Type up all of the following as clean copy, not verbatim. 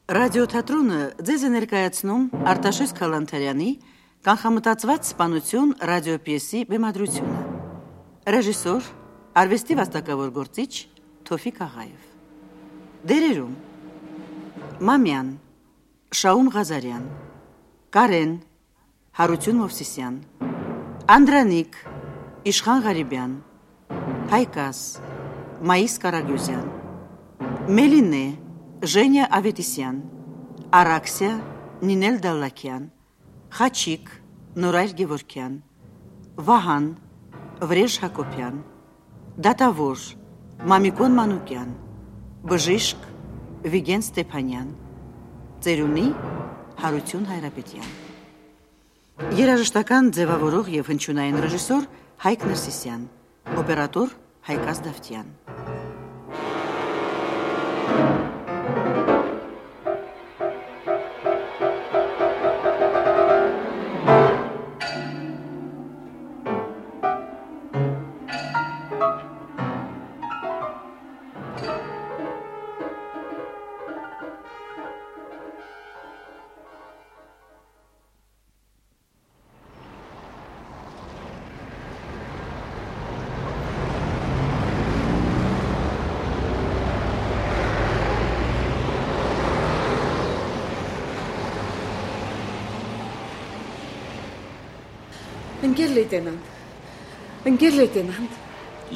Ռադիոթատրոնը ձեզ է ներկայացնում Արտաշես Քալանթարյանի կանխամտածված սպանություն ռադիոպիեսի բեմադրությունը։ Ռեժիսոր, արվեստի վաստակավոր գործիչ Թոֆիկ Աղաև։ Դերերում Մամյան, Շաում Ղազարյան, Կարեն, Հարություն Մովսիսյան, Անդրանիկ, Իշխան Ղարիբյան, Հայկաս, Մայիս Կարագյուզյան, Մելինե, Ժենյա Ավետիսյան, Արաքսիա, Նինել Դալլակյան, Խաչիկ, Նորայր Գևորքյան, Վահան, Վրեժ Հակոբյան, Դատավոր, Մամիկոն Մանուկյան, Բժիշկ, Վիգեն Ստեփանյան, Ծերունի, Հարություն Հայրապետյան։ Երաժշտական ձևավորող և հնչյունային ռեժիսոր Հայկ Ներսիսյան, օպերատոր Հայկաս Դավթյան։ Ընկեր լեյտենանտ։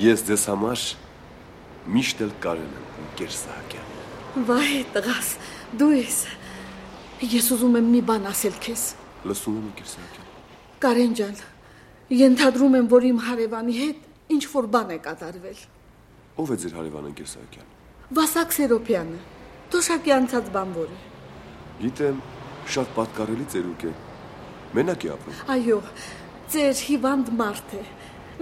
Ես ձեզ համար միշտ էլ Կարեն եմ, ընկեր Սահակյան։ Վայ, տղաս, դու ես։ Ես ուզում եմ մի բան ասել քեզ։ Լսում եմ, ընկեր Սահակյան։ Կարեն ջան, ենթադրում եմ, որ իմ հարևանի հետ ինչ-որ բան է կատարվել։ Ո՞վ է ձեր հարևանը, ընկեր Սահակյան։ Վասակ Սերոպյանը, թոշակի անցած բանվոր է։ Գիտեմ, շատ պատկառելի ծերուկ է։ Մենակ է ապրում։ Այո, ծեր հիվանդ մարդ է։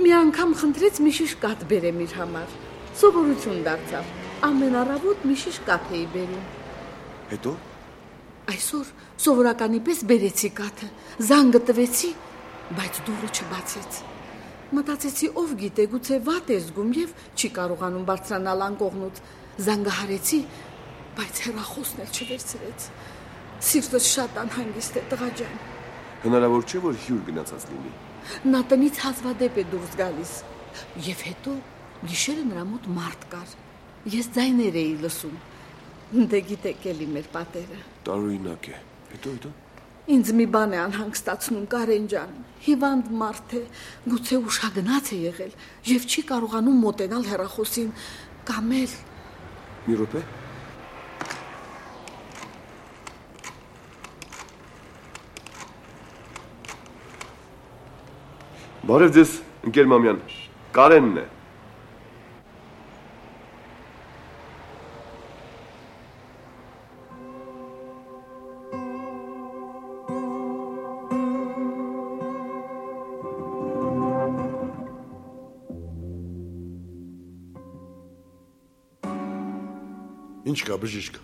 Մի անգամ խնդրեց մի շիշ կաթ բերեմ իր համար։ Սովորություն դարձավ։ Ամեն առավոտ մի շիշ կաթ էի բերում։ Հետո։ Այսօր սովորականի պես բերեցի կաթը, զանգը տվեցի, բայց դուռը չբացեց։ Մտածեցի, ով գիտե, գուցե վատ է զգում եւ չի կարողանում բարձրանալ անկողնուց։ Զանգը հարեցի, բայց հեռախոսն էլ չվերցրեց։ Սիրտս շատ անհանգիստ է, տղա ջան։ Հնարավոր չէ, որ հյուր գնացած լինի։ Նա տնից հազվադեպ է դուրս գալիս։ Եվ հետո գիշերը նրա մոտ մարդ կար։ Ես ձայներ էի լսում։ Դե գիտեք էլի մեր պատերը։ Տարօրինակ է։ Հետո։ Ինձ մի բան է անհանգստացնում, Կարեն ջան։ Հիվանդ մարդ է, գուցե ուշագնաց է եղել եւ չի կարողանում մոտենալ հեռախոսին կամ էլ։ Մի րոպե։ Բարև ձեզ, ընկեր Մամյան, Կարենն է։ Ինչ կա, բժիշկ։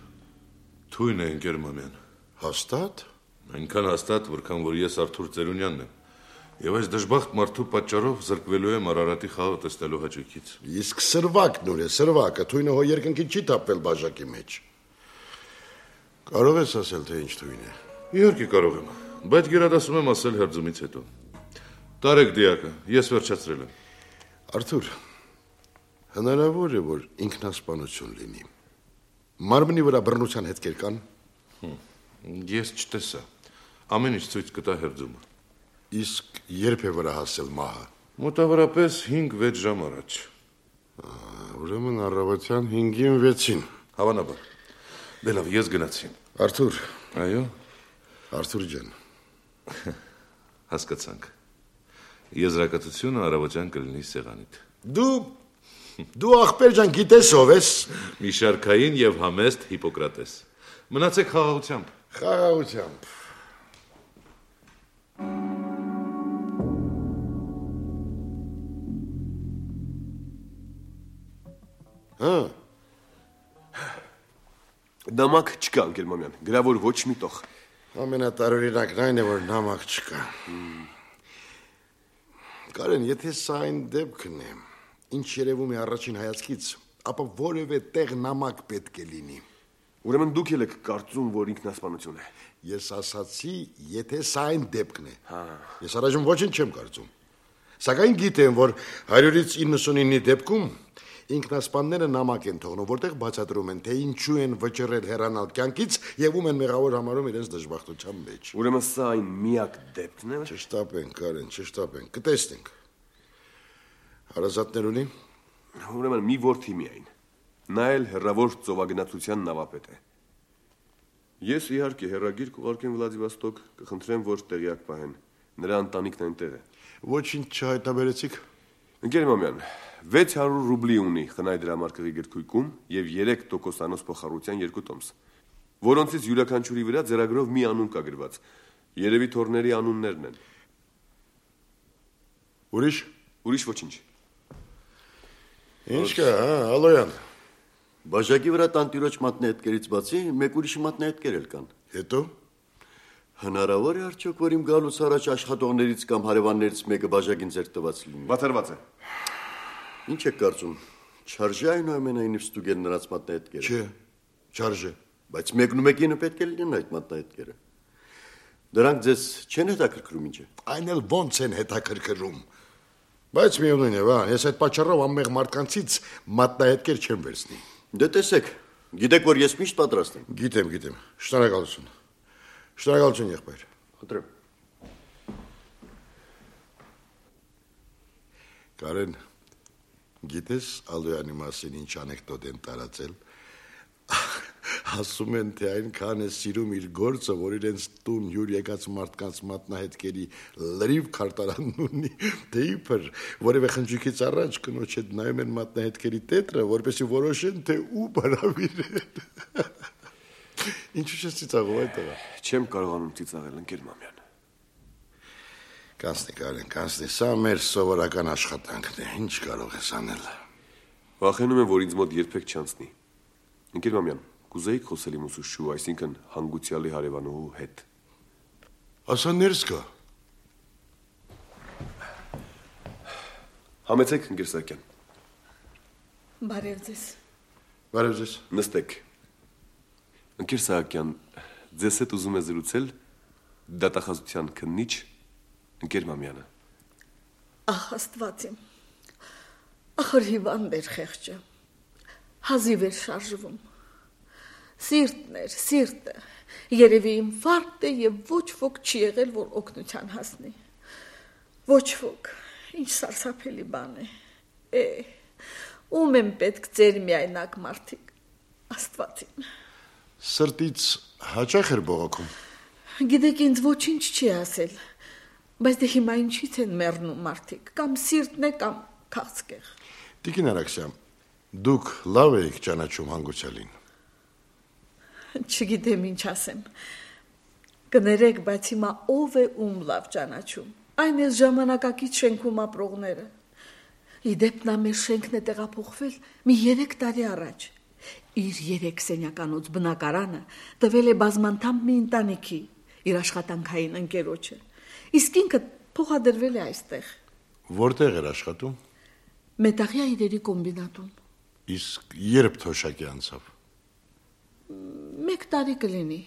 Թույն է, ընկեր Մամյան։ Հաստատ։ Այնքան հաստատ, որքան որ ես Արթուր Ծերունյանն եմ։ Եվ այս դժբախտ մարդու պատճառով զրկվելու եմ Արարատի խաղը տեսնելու հաճույքից։ Իսկ սրվակն ուր է, սրվակը, թույնը հո երկնքից չի թափվել բաժակի մեջ։ Կարող ես ասել, թե ինչ թույն է։ Իհարկե կարող եմ, բայց գերադասում եմ ասել հերձումից հետո։ Տարեք դիակը, ես վերջացրել եմ։ Արթուր, հնարավոր է, որ ինքնասպանություն լինի։ Մարմնի վրա բռնության հետքեր կան։ Ես չտեսա։ Ամեն ինչ ցույց կտա հերձումը։ Իսկ երբ է վրա հասել մահը։ Մոտավորապես 5-6 ժամ առաջ։ Ուրեմն առավոտյան 5-ին 6-ին։ Հավանաբար։ Դե լավ, ես գնացի։ Արթուր։ Այո։ Արթուր ջան։ Հասկացանք։ Եզրակացությունը առավոտյան կլինի սեղանիդ։ Դու ախպեր ջան գիտես ով ես։ Մի շարքային եւ համեստ Հիպոկրատես։ Մնացեք խաղաղությամբ։ Խաղաղությամբ։ Նամակ չկա, ընկեր Մամյան, գրավոր ոչ մի տող։ Ամենատարօրինակն այն է, որ նամակ չկա։ Կարեն, եթե սա այն դեպքն է, ինչ երևում է առաջին հայացքից, ապա որևէ տեղ նամակ պետք է լինի։ Ուրեմն դուք եք կարծում, որ ինքնասպանություն է։ Ես ասացի, եթե սա այն դեպքն է։ Ես առայժմ ոչինչ չեմ կարծում։ Սակայն գիտեմ, որ 100-ից 99-ի դեպքում ինքնասպանները նամակ են թողնում, որտեղ բացատրում են, թե ինչու են վճռել հեռանալ կյանքից եւ ում են մեղավոր համարում իրենց դժբախտության մեջ։ Ուրեմն սա այն միակ դեպքն է։ Չշտապենք, Կարեն, չշտապենք, կտեսնենք։ Հարազատներ ունի։ Ուրեմն մի որդի միայն։ Նա էլ հեռավոր ծովագնացության նավապետ է։ Ես իհարկե հեռագիր կուղարկեմ Վլադիվոստոկ, կխնդրեմ, որ տեղյակ պահեն։ Նրա ընտանիքն այնտեղ է։ Ոչինչ չհայտնաբերեցիք։ Ընկեր Մամյան, 600 ռուբլի ունի Խնայ դրամարկղի գրքույկում եւ 3% փոխառության 2 տոմս, որոնցից յուրաքանչյուրի վրա ձեռագրով մի անուն կա գրված։ Երևի թորների անուններն են։ Ուրիշ ոչինչ։ Ինչ կա, Ալոյան։ Բաժակի վրա տանտիրոջ մատնահետքերից բացի մեկ ուրիշ մատնահետքեր էլ կան։ Հետո Հնարավոր է արդյոք, որ իմ գալուց առաջ աշխատողներից կամ հարևաններից մեկը բաժակին ձեռք տված լինի։ Բացառված է։ Ինչ եք կարծում, չարժե այնուամենայնիվ ստուգել նրանց մատնահետքերը։ Չէ, չարժե։ Բայց մեկնումեկինը պետք է լինեն այդ մատնահետքերը։ Դրանք ձեզ չեն հետաքրքրում ինչ է։ Այն էլ ոնց են հետաքրքրում։ Բայց միևնույն է, բան, ես այդ պատճառով անմեղ մարդկանցից մատնահետքեր չեմ վերցնի։ Դե տեսեք, գիտեք, որ ես միշտ պատրաստ եմ։ Գիտեմ։ Շնորհակալություն։ Շնորհակալություն, եղբայր։ Խնդրեմ։ Կարեն, գիտես Ալոյանի մասին ինչ անեկդոտ են տարածել։ Ասում են, թե այնքան է սիրում իր գործը, որ իրենց տուն հյուր եկած մարդկանց մատնահետքերի լրիվ քարտարանն ունի, թե իբր որևէ խնջույքից առաջ կնոջ հետ նայում են մատնահետքերի տետրը, որպեսզի որոշեն, թե ու բարավիրեն։ Ինչու՞ չես ծիծաղում այդ տղա։ Չեմ կարողանում ծիծաղել, ընկեր Մամյան։ Կանցնի, Կարեն, կանցնի, սա մեր սովորական աշխատանքն է, ինչ կարող ես անել։ Վախենում եմ, որ ինձ մոտ երբեք չանցնի։ Ընկեր Մամյան, կուզեիք խոսել իմ ուսուցչու, այսինքն հանգուցյալի հարևանուհու հետ։ Ասա ներս գա։ Համեցեք, ընկեր Սահակյան։ Բարև ձեզ։ Բարև ձեզ։ Նստեք։ Ընկեր Սահակյան, ձեզ հետ ուզում է զրուցել դատախազության քննիչ ընկեր Մամյանը։ Ահ, Աստված իմ։ Ախր հիվանդ էր խեղճը։ Հազիվ էր շարժվում։ Սիրտը։ Երևի ինֆարկտ է եւ ոչ ոք չի եղել, որ օգնության հասնի։ Ոչ ոք։ Ինչ սարսափելի բան է։ Ում եմ պետք ձեր միայնակ մարդիկ։ Աստված իմ։ Սրտից հաճախ էր բողոքում։ Գիտեք, ինձ ոչինչ չի ասել, բայց դե հիմա ինչից են մեռնում մարդիկ, կամ սիրտն է, կամ քաղցկեղ։ Տիկին Արաքսյան, դուք լավ եք ճանաչում հանգուցյալին։ Չգիտեմ ինչ ասեմ։ Կներեք, բայց հիմա ով է ում լավ ճանաչում։ Այն էս ժամանակակից շենքում ապրողները։ Իդեպ նա մեր շենքն է տեղափոխվել մի 3 տարի առաջ։ Իր 3 սենյականոց բնակարանը տվել է բազմանդամ մի ընտանիքի, իր աշխատանքային ընկերոջը։ Իսկ ինքը փոխադրվել է այստեղ։ Որտեղ էր աշխատում։ Մետաղյա իրերի կոմբինատում։ Իսկ երբ թոշակի անցավ։ 1 տարի կլինի։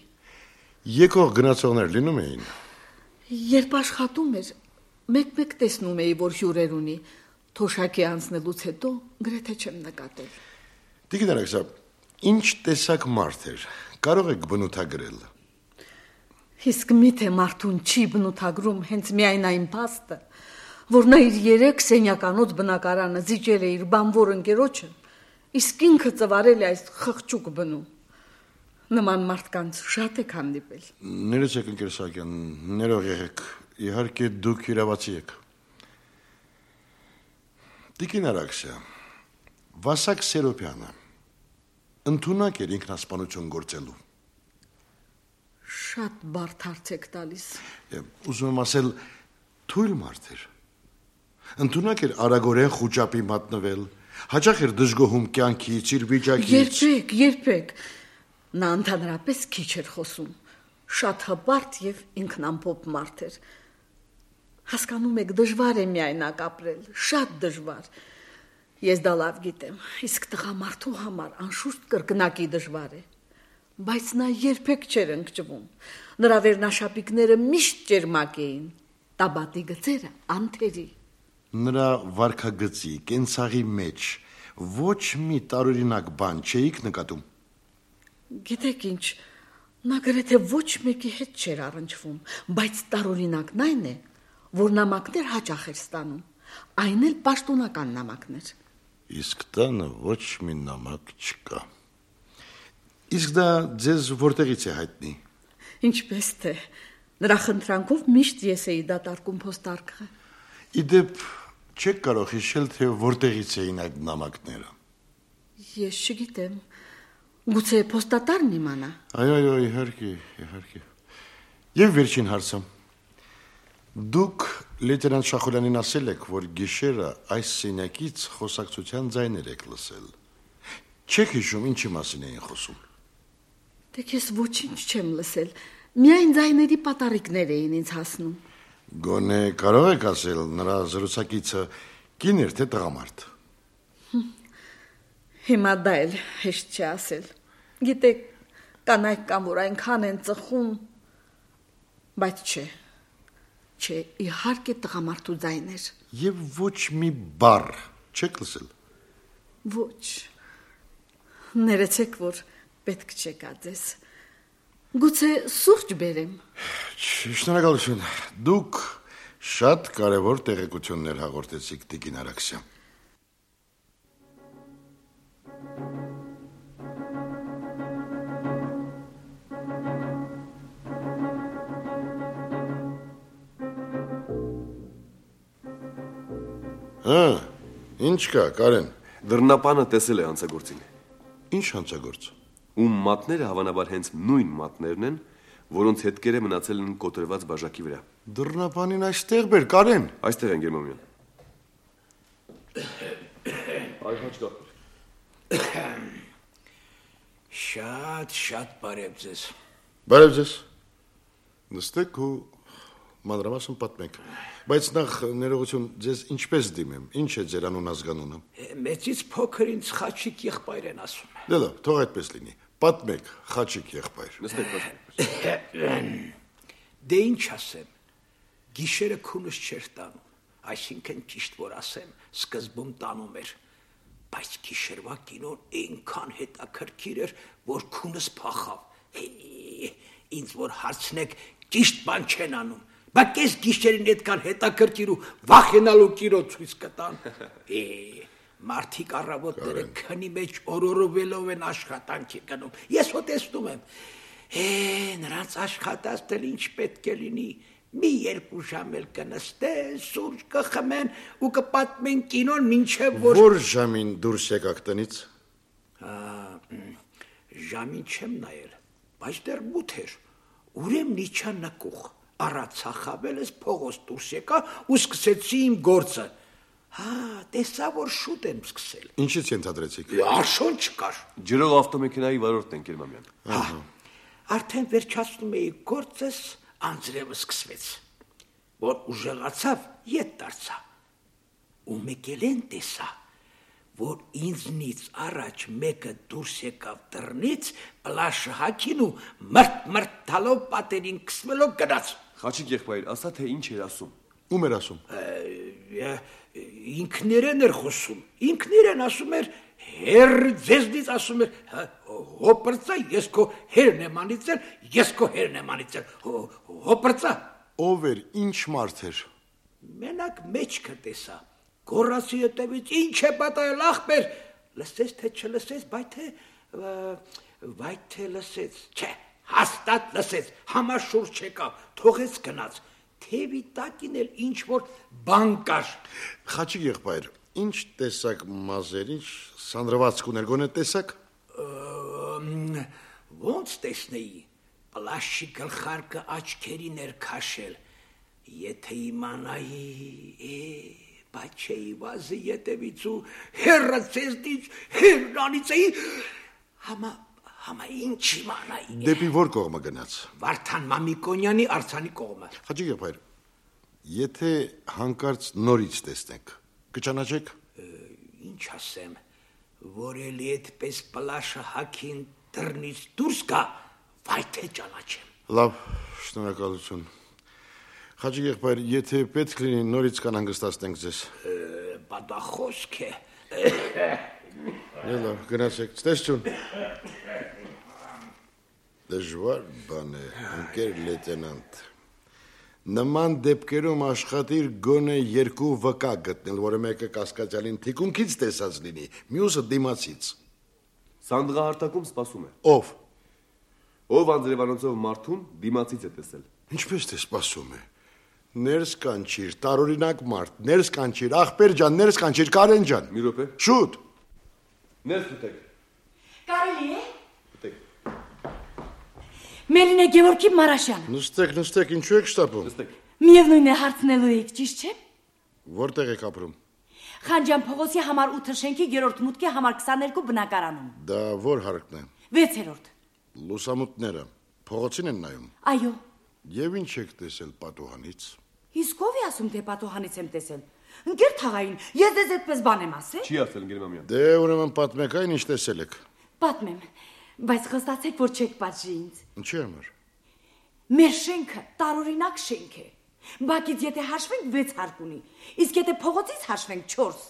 Եկող գնացողներ լինում էին։ Երբ աշխատում էր, մեկ-մեկ տեսնում էի, որ հյուրեր ունի։ Թոշակի անցնելուց հետո գրեթե չեմ նկատել։ Տիկին Արաքսյան, ինչ տեսակ մարդ էր, կարող եք բնութագրել։ Իսկ միթե մարդուն չի բնութագրում հենց միայն այն փաստը, որ նա իր 3 սենյականոց բնակարանը զիջել է իր բանվոր ընկերոջը, իսկ ինքը ծվարել է այս խղճուկ բնում։ Նման մարդկանց շատ եք հանդիպել։ Ներեցեք, ընկեր Սահակյան, ներող եղեք, իհարկե դուք իրավացի եք։ Տիկին Արաքսյան, Վասակ Սերոպյանը ընդունակ էր ինքնասպանություն գործելու։ Շատ բարդ հարց եք տալիս։ Ուզում եմ ասել, թույլ մարդ էր։ Ընդունակ էր արագորեն խուճապի մատնվել, հաճախ էր դժգոհում կյանքից, իր վիճակից։ Երբեք։ Նա ընդհանրապես քիչ էր խոսում։ Շատ հպարտ եւ ինքնամփոփ մարդ էր։ Հասկանում եք, դժվար է միայնակ ապրել, շատ դժվար։ Ես դա լավ գիտեմ, իսկ տղամարդու համար անշուշտ կրկնակի դժվար է։ բայց նա երբեք չէր ընկճվում։ Նրա վերնաշապիկները միշտ ջերմակ էին, տաբատի գծերը անթերի։ Նրա վարքագծի, կենցաղի մեջ ոչ մի տարօրինակ բան չէիք նկատում։ Գիտեք ինչ, նա գրեթե ոչ մեկի հետ չէր առնչվում, բայց տարօրինակն այն է, որ նամակներ հաճախ էր ստանում, այն էլ պաշտոնական նամակներ։ Իսկ տանը ոչ մի նամակ չկա։ Իսկ դա ձեզ որտեղից է հայտնի։ Ինչպես թե, նրա խնդրանքով միշտ ես էի դատարկում փոստարկղը։ Իդեպ չեք կարող հիշել, թե որտեղից էին այդ նամակները։ Ես չգիտեմ, գուցե փոստատարն իմանա։ Այո, իհարկե։ Եվ վերջին հարցը։ Դուք լեյտենանտ Շախոլյանին ասել եք, որ գիշերը այս սենյակից խոսակցության ձայներ եք լսել։ Չեք հիշում ինչի մասին էին խոսում։ Դե ես ոչինչ չեմ լսել, միայն ձայների պատառիկներ էին ինձ հասնում։ Գոնե կարող եք ասել, նրա զրուցակիցը կին էր թե տղամարդ։ Հիմա դա էլ հեշտ չի ասել։ Գիտեք, կանայք կան, որ այնքան են ծխում, բայց չէ, իհարկե տղամարդու ձայներ։ Եվ ոչ մի բառ չեք լսել։ Ոչ։ Ներեցեք, որ պետք չեկա ձեզ։ Գուցե սուրճ բերեմ։ Շնորհակալություն։ Դուք շատ կարևոր տեղեկություններ հաղորդեցիք տիկին Արաքսյան։ Ինչ կա, Կարեն։ Դռնապանը տեսել է հանցագործին։ Ինչ հանցագործ։ Ում մատները հավանաբար հենց նույն մատներն են, որոնց հետքերը մնացել են կոտրված բաժակի վրա։ Դռնապանին այստեղ բեր, Կարեն։ Այստեղ են Գերմանյան։ Այ հաճկա։ Շատ բարև ձեզ։ Բարև ձեզ։ Նստեք ու մանրամասն պատմեք։ Բայց նախ ներողություն, ձեզ ինչպես դիմեմ, ինչ է ձեր անուն ազգանունը։ Մեծից փոքր ինձ Խաչիկ եղբայր են ասում։ Դե լավ, թող այդպես լինի։ Պատմեք, Խաչիկ եղբայր։ Նստեք։ Դե ինչ ասեմ, գիշերը քունս չէր տանում, այսինքն ճիշտ որ ասեմ, սկզբում տանում էր, բայց գիշերվա կինոն այնքան հետաքրքիր էր, որ քունս փախավ։ Ինձ որ հարցնեք, ճիշտ բան չեն անում, բայց ես գիշերին այդքան հետաքրքիր ու վախենալու կինո ցույց կտան։ Մարդիկ առավոտները քնի մեջ օրորովելով են աշխատանքի գնում։ Ես հո տեսնում եմ։ Նրանց աշխատածը ինչ պետք է լինի։ Մի 2 ժամ էլ կնստեն, սուրճ կխմեն ու կպատմեն կինոն մինչև որ Որ ժամին դուրս եկաք տնից։ Ժամին չեմ նայել, բայց դեռ մութ էր։ Ուրեմն իջա նկուղ, առացա խավելս փողոց դուրս եկա ու սկսեցի իմ գործը։ Տեսա որ շուտ եմ սկսել։ Ինչից ենթադրեցիք։ Արշոն չկար։ Ջրող ավտոմեքենայի վարորդն են Գերմանյան։ Արդեն վերջացնում էի գործս, անձրևը սկսվեց, որ ուժեղացավ, ետ դարձա։ Ու մեկ էլ են տեսա, որ ինձնից առաջ մեկը դուրս եկավ դռնից, պլաշը հագին ու մրտ տալով պատերին քսվելով գնաց։ Խաչիկ եղբայր, ասա թե ինչ էր ասում։ Ում էր ասում։ Ինքներեն էր խոսում, ինքներեն ասում էր, հեր ձեզնից ասում էր, հոպրծա, ես քո հերն եմ անիծել, ես քո հերն եմ անիծել, հոպրծա։ Ով էր, ինչ մարդ էր։ Մենակ մեջքը տեսա, գոռացի հետևից, ինչ է պատահել ախպեր, լսեց թե չլսեց, բայց թե լսեց, չէ, հաստատ լսեց, համաշուրջ եկավ, թողեց գնաց, թևի տակին էլ ինչ որ բան կար։ Խաչիկ եղբայր, ինչ տեսակ մազեր, ինչ սանրվածք ուներ, գոնե տեսակ։ Ոնց տեսնեի, պլաշի գլխարկը աչքերին էր քաշել, եթե իմանայի, բայց չէի վազի ետևից ու հեռը ձեզնից հեռանից էի, համա ինչ իմանայի։ Դեպի որ կողմը գնաց։ Վարդան Մամիկոնյանի արձանի կողմը։ Խաչիկ եղբայր, եթե հանկարծ նորից տեսնեք, կճանաչեք։ Ինչ ասեմ, որ էլի այդպես պլաշը հագին դռնից դուրս գա, վայ թե ճանաչեմ։ Լավ, շնորհակալություն։ Խաչի եղբայր, եթե պետք լինի նորից կանհանգստացնենք ձեզ։ Բա դա խոսք է։ Լավ, գնացեք, ցտեսություն։ Դժվար բան է, ընկեր լեյտենանտ։ Նման դեպքերում աշխատիր գոնե 2 վկա գտնել, որը մեկը կասկածյալին թիկունքից տեսած լինի, մյուսը դիմացից։ Սանդղահարտակում սպասում է։ Ով։ Ով Անձրևանոցով մարդուն դիմացից է տեսել։ Ինչպես թե սպասում է։ Ներս կանչիր, տարօրինակ մարդ, ներս կանչիր, ախպեր ջան, ներս կանչիր, Կարեն ջան։ Մի րոպե։ Շուտ։ Ներս ուտեք։ Կարելի է։ Ուտեք։ Մելինե Գևորգի Մարաշյան։ Նստեք, ինչու եք շտապում։ Նստեք։ Միևնույն է հարցնելու եք, ճիշտ չէ։ Որտեղ եք ապրում։ Խանջան փողոցի համար 8 շենքի 3-րդ մուտքի համար 22 բնակարանում։ Դա որ հարկն է։ 6-րդ։ Լուսամուտները փողոցին են նայում։ Այո։ Եվ ինչ եք տեսել պատուհանից։ Իսկ ով է ասում թե պատուհանից եմ տեսել։ Ընկեր թաղային, ես դες այդպես բան եմ ասել։ Չի ասել Գերմանյան։ Դե ուրեմն պատմեք այն ինչ տեսել եք։ Պատմեմ, բայց խոստացեք, որ չեք պատժի ինձ։ Ինչի համար։ Մեր շենքը տարօրինակ շենք է։ Բակից եթե հաշվենք 6 հարկ ունի, իսկ եթե փողոցից հաշվենք 4։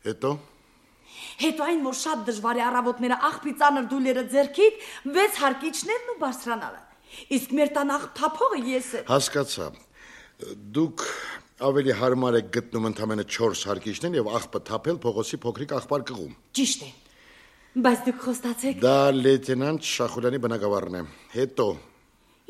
Հետո։ Հետո այն, որ շատ դժվար է առավոտները աղբի ծանր դույլերը ձեռքիդ 6 հարկիչներն ու բարձրանալը։ Իսկ մեր տան աղբթափողը ես եմ։ Հասկացա։ Դուք ավելի հարմար եք գտնում ընդամենը 4 հարկիչներ եւ աղբը թափել փողոցի փոքրիկ աղբար կղում։ Ճիշտ է։ Բայց դուք խոստացեք։ Դա լեյտենանտ Շախուրյանի բնակավարն է։ Հետո։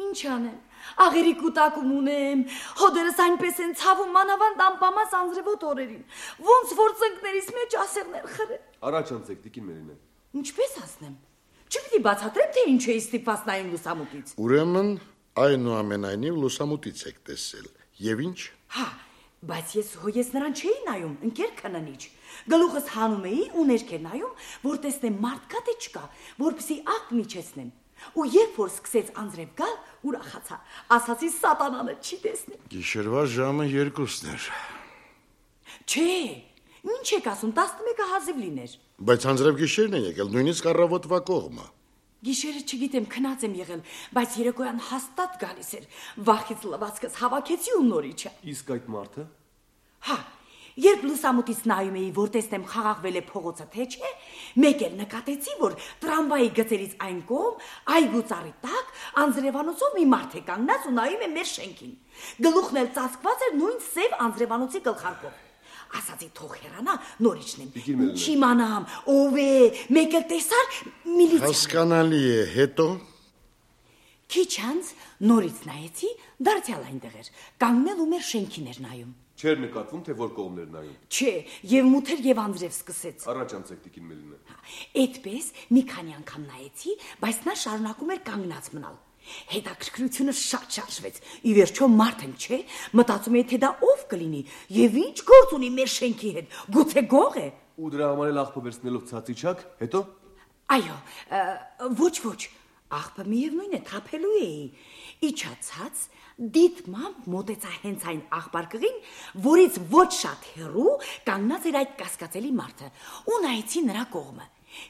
Ինչ անեմ։ Աղերի կուտակում ունեմ, հոդերս այնպես են ցավում մանավանդ անպամած անձրևոտ օրերին, ոնց որ ծնկներից մեջ ասեղներ խրեն։ Առաջ անցեք, տիկին Մերինե։ Ինչպես ասնեմ։ Չպիտի բացատրեմ, թե ինչ է ստիպված նայում լուսամուտից։ Ուրեմն այնուամենայնիվ լուսամուտից եք տեսել։ Եվ ինչ։ Հա, բայց ես նրան չէի նայում, ընկեր քննիչ։ Գլուխս հանում էի ու ներքեր նայում, որ տեսնեմ մարդ կա թե չկա, որպեսզի աղբ միջեցնեմ։ Ու երբ որ սկսեց անձրև գալ, ուրախացա, ասացի սատանանը չի տեսնի։ Գիշերվա ժամը 2-ն էր։ Չէ, ինչ եք ասում, 11-ը հազիվ լիներ։ Բայց անձրև գիշերն է եկել, նույնիսկ առավոտվա կողմը։ Գիշերը չգիտեմ, քնած եմ եղել, բայց երեկոյան հաստատ գալիս էր։ Վախից լվացքս հավաքեցի ու նորիչը։ Իսկ այդ մարդը։ Հա, երբ լուսամուտից նայում էի, որ տեսնեմ խաղաղվել է փողոցը թե չէ, մեկ էլ նկատեցի, որ տրամվայի գծերից այն կողմ, այգու ծառի տակ, անձրևանոցով մի մարդ է կանգնած ու նայում է մեր շենքին։ Գլուխն էլ ծածկված էր նույն սև անձրևանոցի գլխարկով։ Ասացի թող հեռանա, նորիչնեմ։ Ինչ իմանամ, ով է, մեկ էլ տեսար միլիցիան։ Հասկանալի է, հետո։ Քիչ անց նորից նայեցի, դարձյալ այնտեղ էր, կանգնել ու մեր շենքին էր նայում։ Չէր նկատվում, թե որ կողմներ նայում։ Չէ, եւ մութեր եւ անձրև սկսեց։ Առաջ անցեք, տիկին Մերինե։ Այդպես մի քանի անգամ նայեցի, բայց նա շարունակում էր կանգնած մնալ։ Հետաքրքրությունը շատ շարժվեց։ Ի վերջո մարդ եմ, չէ՞, մտածում էի, թե դա ով կլինի եւ ինչ գործ ունի մեր շենքի հետ։ Գուցե գող է։ Ու դրա համար էլ աղբը վերցնելով ցածիչակ, հետո։ Այո, ոչ, աղբը միևնույն է, թափելու էի։ Իջացած դիտմամբ մոտեցա հենց այն աղբարկղին, որից ոչ շատ հեռու կանգնած էր այդ կասկածելի մարդը, ու նայեցի նրա կողմը։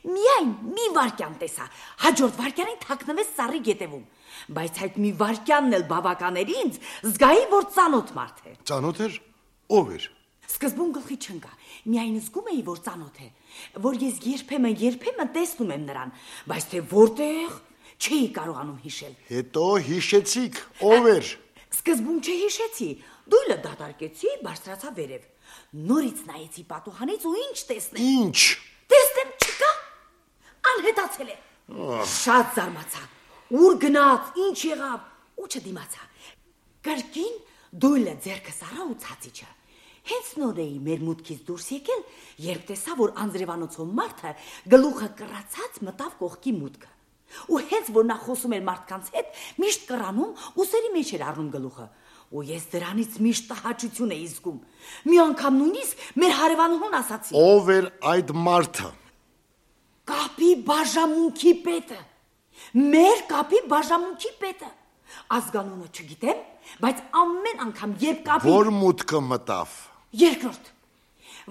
Միայն մի վարքյան տեսա, հաջորդ վարքյանին թաքնվեց ծառի գետևում, բայց այդ մի վարքյանն էլ բավական էր ինձ, զգայի, որ ծանոթ մարդ է։ Ծանոթ էր, ով էր։ Սկզբում գլխի չընկա, միայն զգում էի, որ ծանոթ է, որ ես երբեմն տեսնում եմ նրան, բայց թե որտեղ չէի կարողանում հիշել։ Հետո հիշեցիք, ով էր։ Սկզբում չհիշեցի, դույլը դատարկեցի, բարձրացա վերև։ Նորից նայեցի պատուհանից ու ինչ տեսնեմ։ Ինչ։ Տեսնեմ չկա, անհետացել է։ Շատ զարմացա, ուր գնաց, ինչ եղավ, ու չդիմացա։ Կրկին դույլը ձեռքս առա ու ցածիչը։ Հենց նոր էի մեր մուտքից դուրս եկել, երբ տեսա, որ անձրևանոցով մարդը գլուխը կռացած մտավ կողքի մուտքը։ Ու հենց որ նա խոսում էր մարդկանց հետ, միշտ կռանում ու սերի մեջ էր առնում գլուխը։ Ու ես դրանից միշտ տհաճություն էի զգում։ Մի անգամ նույնիսկ մեր հարևանուհուն ասացի. Ով էր այդ մարդը։ Կապի բաժամունքի պետը։ Մեր կապի բաժամունքի պետը։ Ազգանունը չգիտեմ, բայց ամեն անգամ երբ կապի Որ մուտքը մտավ։ Երկրորդ,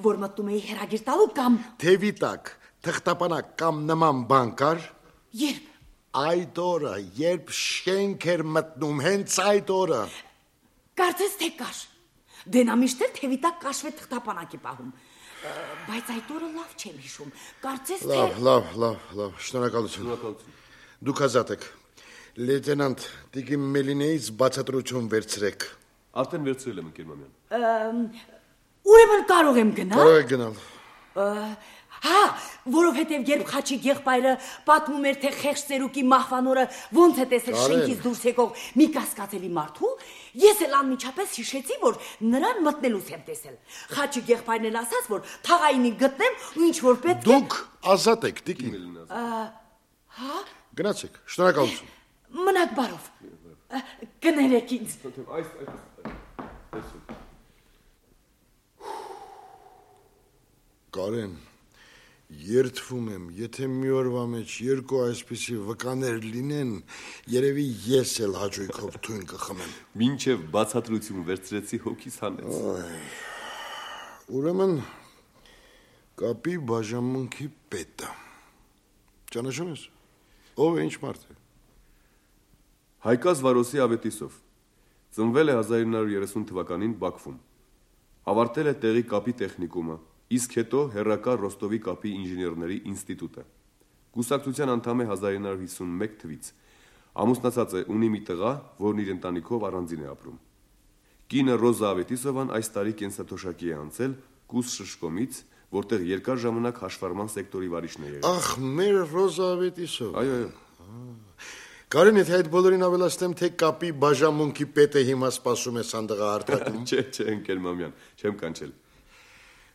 որ մտնում էի հերագիր տալու կամ Թևի տակ, թղթապանակ կամ նման բան կար։ երբ այդ օրը, երբ շենք էր մտնում, հենց այդ օրը։ Կարծես թե կար։ Դե նա միշտ էլ թևի տակ կաշվե թղթապանակի պահում։ Բայց այդ օրը լավ չեմ հիշում։ Կարծես թե Լավ, շնորհակալություն։ Դուք ազատ եք։ Լեյտենանտ Տիկին Մելինեից բացատրություն վերցրեք։ Արդեն վերցրել եմ, ընկեր Մամյան։ Ուրեմն կարող եմ գնալ։ Կարող եք գնալ։ Հա, որովհետև երբ Խաչիկ եղբայրը պատմում էր, թե խեղճ ծերուկի մահվանորը ոնց է տեսել շենքից դուրս եկող մի կասկածելի մարդու, ես էլ անմիջապես հիշեցի, որ նրան մտնելուց եմ տեսել։ Խաչիկ եղբայրն էլ ասաց, որ թաղայինի գտնեմ ու ինչ որ պետք է։ Դուք ազատ եք, Տիկին։ Հա։ Գնացեք, շնորհակալություն։ Մնաք բարով։ Կներեք ինձ։ Կարեն, երդվում եմ, եթե մի օրվա մեջ երկու այսպիսի վկաներ լինեն, երևի ես էլ հաճույքով թույն կխմեմ։ Մինչև բացատրություն վերցրեցի, հոգիս հանեց։ Ուրեմն կապի բաժանմունքի պետը։ Ճանաչում ես։ Ով է, ինչ մարդ է։ Հայկազ Վարոսի Ավետիսով։ Ծնվել է 1930 թվականին Բաքվում։ Ավարտել է տեղի կապի տեխնիկումը, իսկ հետո հեռակա Ռոստովի կապի ինժեներների ինստիտուտը։ Կուսակցության անդամ է 1951 թվից։ Ամուսնացած է, ունի մի տղա, որն իր ընտանիքով առանձին է ապրում։ Կինը Ռոզա Ավետիսովան այս տարի կենսաթոշակի է անցել Կուս շշկոմից, որտեղ երկար ժամանակ հաշվառման սեկտորի վարիչն է եղել։ Ախ, մեր Ռոզա Ավետիսով։ Այո։ Կարեն, եթե այդ բոլորին ավելացնեմ, թե կապի բաժանմունքի պետը հիմա սպասում է սանդղա հարթակում։ Չէ, ընկեր Մամյան, չեմ կանչել։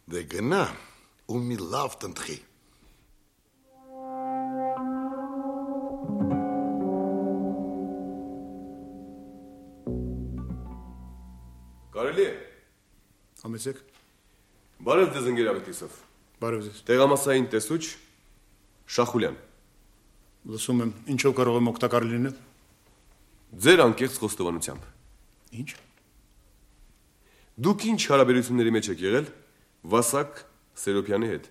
Դե գնա ու մի լավ տնտղի։ Կարելի է։ Համեցեք։ Բարև ձեզ, ընկեր Ավետիսով։ Բարև ձեզ։ Տեղամասային տեսուչ Շախուլյան։ Լսում եմ, ինչով կարող եմ օգտակար լինել։ Ձեր անկեղծ խոստովանությամբ։ Ինչ։ Դուք ինչ հարաբերությունների մեջ եք եղել Վասակ Սերոպյանի հետ։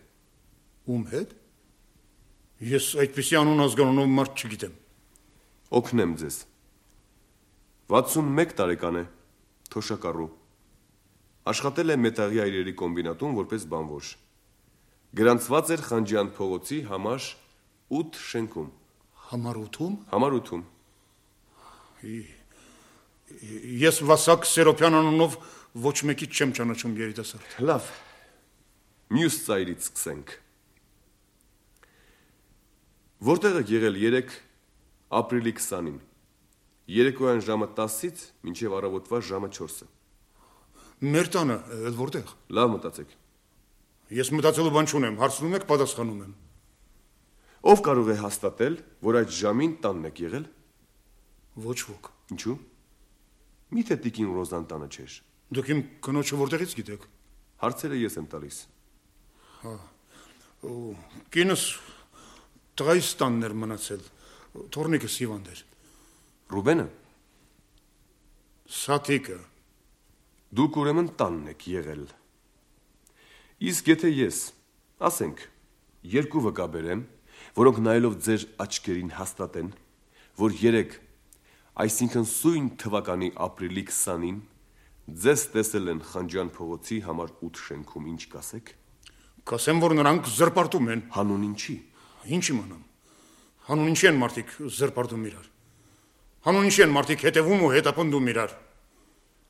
Ում հետ։ Ես այդպիսի անուն ազգանունով մարդ չգիտեմ։ Օգնեմ ձեզ։ 61 տարեկան է, թոշակառու։ Աշխատել է մետաղի այրերի կոմբինատում որպես բանվոր։ Գրանցված էր Խանջյան փողոցի համար 8 շենքում։ Համար 8-ում։ Համար 8-ում։ Ես Վասակ Սերոպյան անունով ոչ մեկից չեմ ճանաչում երիտասարդ։ Լավ։ Մյուս ծայրից սկսենք։ Որտեղ եք եղել 3 ապրիլի 20-ին։ Երեկոյան ժամը 10-ից մինչև առավոտվա ժամը 4-ը։ Մեր տանը, որտեղ։ Լավ մտածեք։ Ես մտածելու բան չունեմ, հարցնում եք, պատասխանում եմ։ Ով կարող է հաստատել, որ այդ ժամին տանն եք եղել։ Ոչ ոք։ Ինչու։ Միթե Տիկին Ռոզան տանը չէր։ Դուք իմ կնոջը որտեղից գիտեք։ Հարցերը ես եմ տալիս։ Հա։ Կինս տղայիս տանն էր մնացել։ Թորնիկս հիվանդ էր։ Ռուբենը։ Սաթիկը։ Դուք ուրեմն տանն եք եղել։ Իսկ եթե ես, ասենք, երկու վկա բերեմ, որոնք նայելով ձեր աչքերին հաստատեն, որ 3, այսինքն սույն թվականի ապրիլի 20-ին ձեզ տեսել են Խանջյան փողոցի համար 8 շենքում, ինչ կասեք։ Կասեմ, որ նրանք զրպարտում են։ Հանուն ինչի։ Ինչ իմանամ։ Հանուն ինչի են մարդիկ զրպարտում իրար։ Հանուն ինչի են մարդիկ հետևում ու հետապնդում իրար։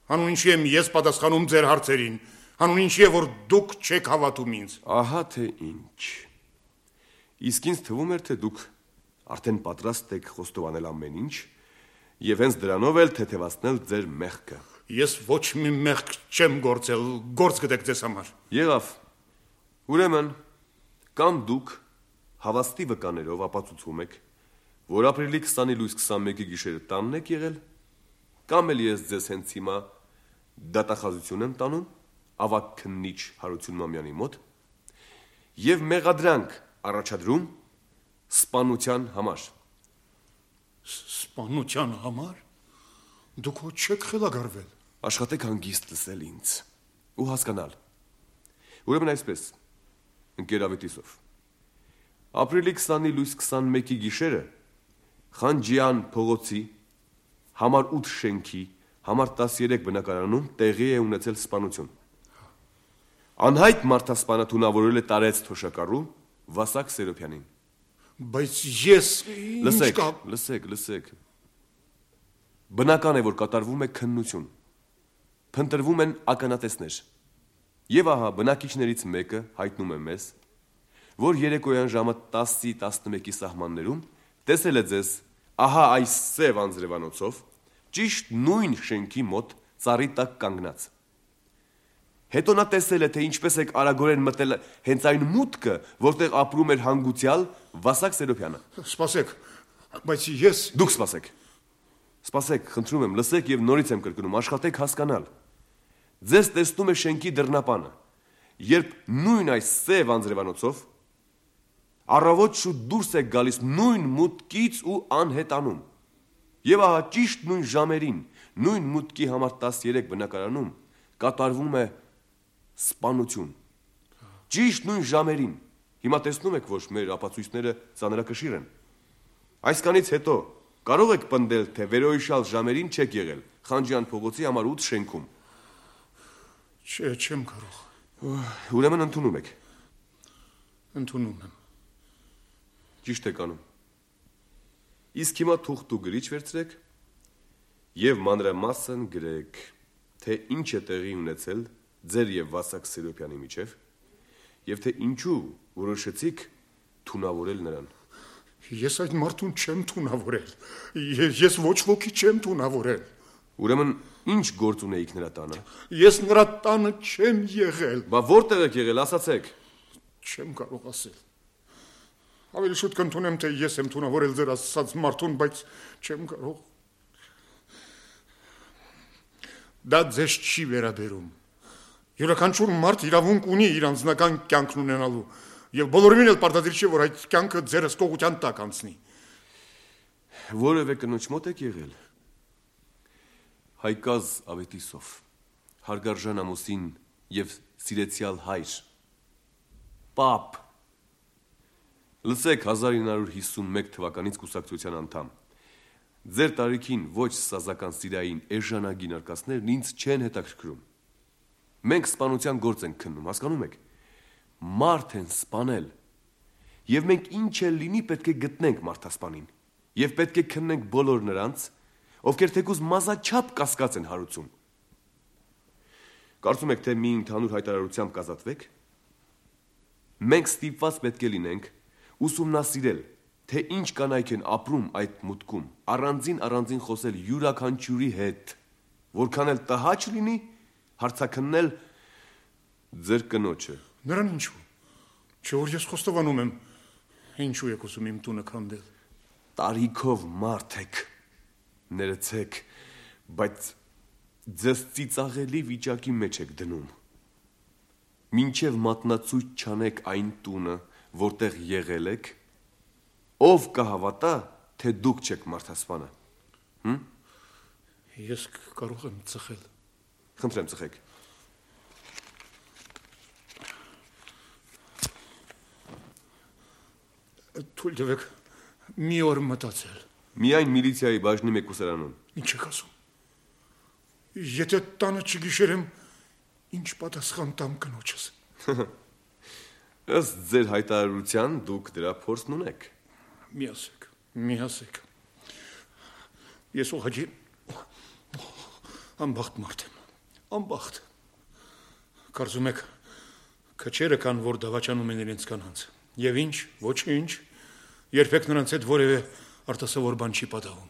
Հանուն ինչի եմ ես պատասխանում ձեր հարցերին։ Հանուն ինչի է, որ դուք չեք հավատում ինձ։ Ահա թե ինչ։ Իսկ ինձ թվում էր, թե դուք արդեն պատրաստ եք խոստովանել ամեն ինչ եւ հենց դրանով էլ թեթևացնել ձեր մեղքը։ Ես ոչ մի մեղք չեմ գործել, գործ գտեք ձեզ համար։ Եղավ։ Ուրեմն, կամ դուք հավաստի վկաներով ապացուցում եք, որ ապրիլի 20-ի լույս 21-ի գիշերը տանն եք եղել, կամ էլ ես ձեզ հենց հիմա դատախազություն եմ տանում ավագ քննիչ Հարություն Մամյանի մոտ եւ մեղադրանք առաջադրում սպանության համար։ Սպանության համար։ Դուք ոչ չեք խելագարվել։ Աշխատեք հանգիստ լսել ինձ ու հասկանալ։ Ուրեմն այսպես, ընկեր Ավետիսով, ապրիլի 20-ի լույս 21-ի գիշերը Խանջյան փողոցի համար 8 շենքի համար 13 բնակարանում տեղի է ունեցել սպանություն։ Անհայտ մարդասպանը թունավորել է տարեց թոշակառու Վասակ Սերոբյանին։ Բայց ես լսեք։ Բնական է, որ կատարվում է քննություն։ Փնտրվում են ականատեսներ։ Եվ ահա բնակիչներից մեկը հայտնում է մեզ, որ երեկոյան ժամը 10-ի 11-ի սահմաններում տեսել է ձեզ ահա այս սև անձրևանոցով ճիշտ նույն շենքի մոտ ծառի տակ կանգնած։ Հետո նա տեսել է, թե ինչպես եք արագորեն մտել հենց այն մուտքը, որտեղ ապրում էր հանգուցյալ Վասակ Սերոբյանը։ Սպասեք, բայց ես… Դուք սպասեք, խնդրում եմ, լսեք եւ նորից եմ կրկնում, աշխատեք հասկանալ։ Ձեզ տեսնում է շենքի դռնապանը, երբ նույն այս սև անձրևանոցով առավոտ շուտ դուրս եք գալիս նույն մուտքից ու անհետանում։ Եվ ահա ճիշտ նույն ժամերին, նույն մուտքի համար 13 բնակարանում կատարվում է սպանություն։ Ճիշտ նույն ժամերին։ Հիմա տեսնում եք, որ մեր ապացույցները ծանրակշիռ են։ Այսքանից հետո կարող եք պնդել, թե վերոհիշյալ ժամերին չեք եղել Խանջյան փողոցի համար 8 շենքում։ Չեմ կարող։ Ուրեմն ընդունում եք։ Ընդունում եմ։ Ճիշտ եք անում։ Իսկ հիմա թուղթ ու գրիչ վերցրեք եւ մանրամասն գրեք, թե ինչ է տեղի ունեցել ձեր եւ Վասակ Սերոբյանի միջև եւ թե ինչու որոշեցիք թունավորել նրան։ Ես այդ մարդուն չեմ թունավորել։ Ես ոչ ոքի չեմ թունավորել։ Ուրեմն ինչ գործ ունեիք նրա տանը։ Ես նրա տանը չեմ եղել։ Բա որտեղ եք եղել, ասացեք։ Չեմ կարող ասել։ Ավելի շուտ կընդունեմ, թե ես եմ թունավորել ձեր ասած մարդուն, բայց չեմ կարող։ Դա ձեզ չի վերաբերում։ Յուրաքանչյուր մարդ իրավունք ունի իր անձնական կյանքն ունենալու, եւ բոլորին էլ պարտադիր չէ, որ այդ կյանքը ձերս կողության տակ անցնի։ Որևէ կնոջ մոտ եք եղել։ Հայկազ Ավետիսով, հարգարժան ամուսին եւ սիրեցյալ հայր։ Պապ։ Լսեք 1951 թվականից կուսակցության անդամ։ Ձեր տարիքին ոչ սազական սիրային էժանագին արկածներն ինձ չեն հետաքրքրում։ Մենք սպանության գործ ենք քննում, հասկանում եք։ Մարդ են սպանել։ Եվ մենք ինչ էլ լինի պետք է գտնենք մարդասպանին։ Եվ պետք է քննենք բոլոր նրանց, ովքեր թեկուզ մազաչափ կասկած են հարուցում։ Կարծում եք, թե մի ընդհանուր հայտարարությամբ կազատվեք։ Մենք ստիպված պետք է լինենք ուսումնասիրել, թե ինչ կանայք են ապրում այդ մուտքում, առանձին խոսել յուրաքանչյուրի հետ, որքան էլ տհաճ լինի, հարցաքննել ձեր կնոջը։ Նրան ինչու։ Չէ՞ որ ես խոստովանում եմ, ինչու եք ուզում իմ տունը քանդել։ Տարիքով մարդ եք, ներեցեք, բայց ձեզ ծիծաղելի վիճակի մեջ եք դնում։ Մինչև մատնացույց չանեք այն տունը, որտեղ եղել եք, ով կհավատա, թե դուք չեք մարդասպանը։ Ես կարող եմ ծխել։ Խնդրեմ ծխեք։ Թույլ տվեք մի օր մտածել։ Միայն միլիցիայի բաժնի մեկ ուսարանում։ Ինչ եք ասում։ Եթե տանը չգիշերեմ, ինչ պատասխան տամ կնոջս։ Ըստ ձեր հայտարարության դուք դրա փորձն ունեք։ Մի ասեք։ Ես ուղղակի անբախտ մարդ եմ։ Անբախտ։ Կարծում եք, քչերը կան, որ դավաճանում են իրենց կանանց։ Եվ ինչ, ոչինչ, երբեք նրանց հետ որևէ արտասովոր բան չի պատահում։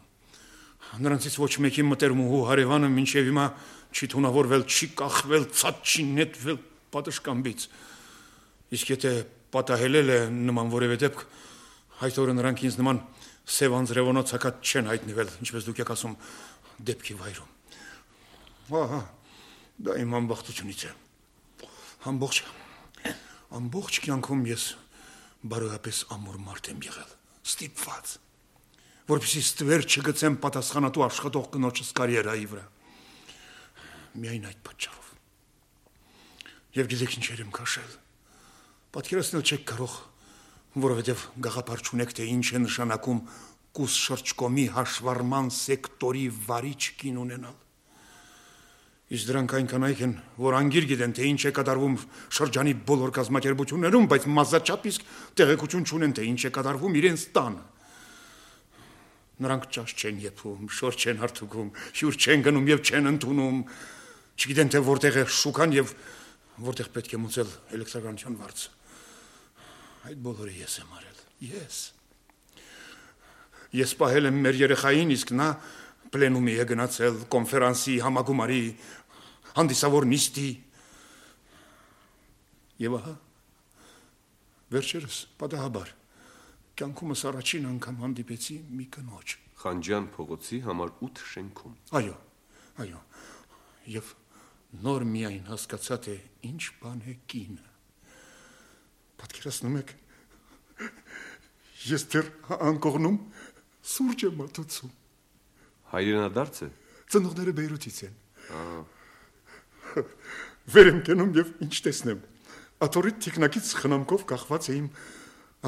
Նրանցից ոչ մեկի մտերմուհու հարևանը մինչև հիմա չի թունավորվել, չի կախվել, ցած չի նետվել պատշգամբից։ Իսկ եթե պատահել է նման որևէ դեպք, այդ օրը նրանք ինձ նման սև անձրևոնոց հակած չեն հայտնվել, ինչպես դուք եք ասում, դեպքի վայրում։ Ահա, դա իմ անբախտությունից է։ Ամբողջ կյանքում ես բարոյապես ամուր մարդ եմ եղել, ստիպված, որպեսզի ստվեր չգցեմ պատասխանատու աշխատող կնոջս կարիերայի վրա։ Միայն այդ պատճառով։ Եվ գիտեք ինչեր եմ քաշել։ Պատկերացնել չեք կարող, որովհետև գաղափար չունեք, թե ինչ է նշանակում կուս շրջկոմի հաշվառման սեկտորի վարիչ կին ունենալ։ Իսկ դրանք այնքան այք են, որ անգիր գիտեն, թե ինչ է կատարվում շրջանի բոլոր կազմակերպություններում, բայց մազաչափ իսկ տեղեկություն չունեն, թե ինչ է կատարվում իրենց տանը։ Նրանք ճաշ չեն եփում, շոր չեն հարթուկում, հյուր չեն գնում եւ չեն ընդունում, չգիտեն թե որտեղ է շուկան եւ որտեղ պետք է մուծել էլեկտրականության վարձը։ Այդ բոլորը ես եմ արել։ Ես պահել եմ մեր երեխային, իսկ նա պլենումի է գնացել, կոնֆերանսի, համագումարի, հանդիսավոր նիստի։ Եվ ահա, վերջերս պատահաբար, կյանքումս առաջին անգամ հանդիպեցի մի կնոջ։ Խանջյան փողոցի համար 8 շենքում։ Այո, և նոր միայն հասկացա, թե ինչ բան է կինը։ Պատկերացնում եք, ես դեռ անկողնում սուրճ եմ մատուցում։ Հայրենադարձ է։ Ծնողները Բեյրութից են։ Վեր եմ կենում և ինչ տեսնեմ։ Աթոռի թիկնակից խնամքով կախված է իմ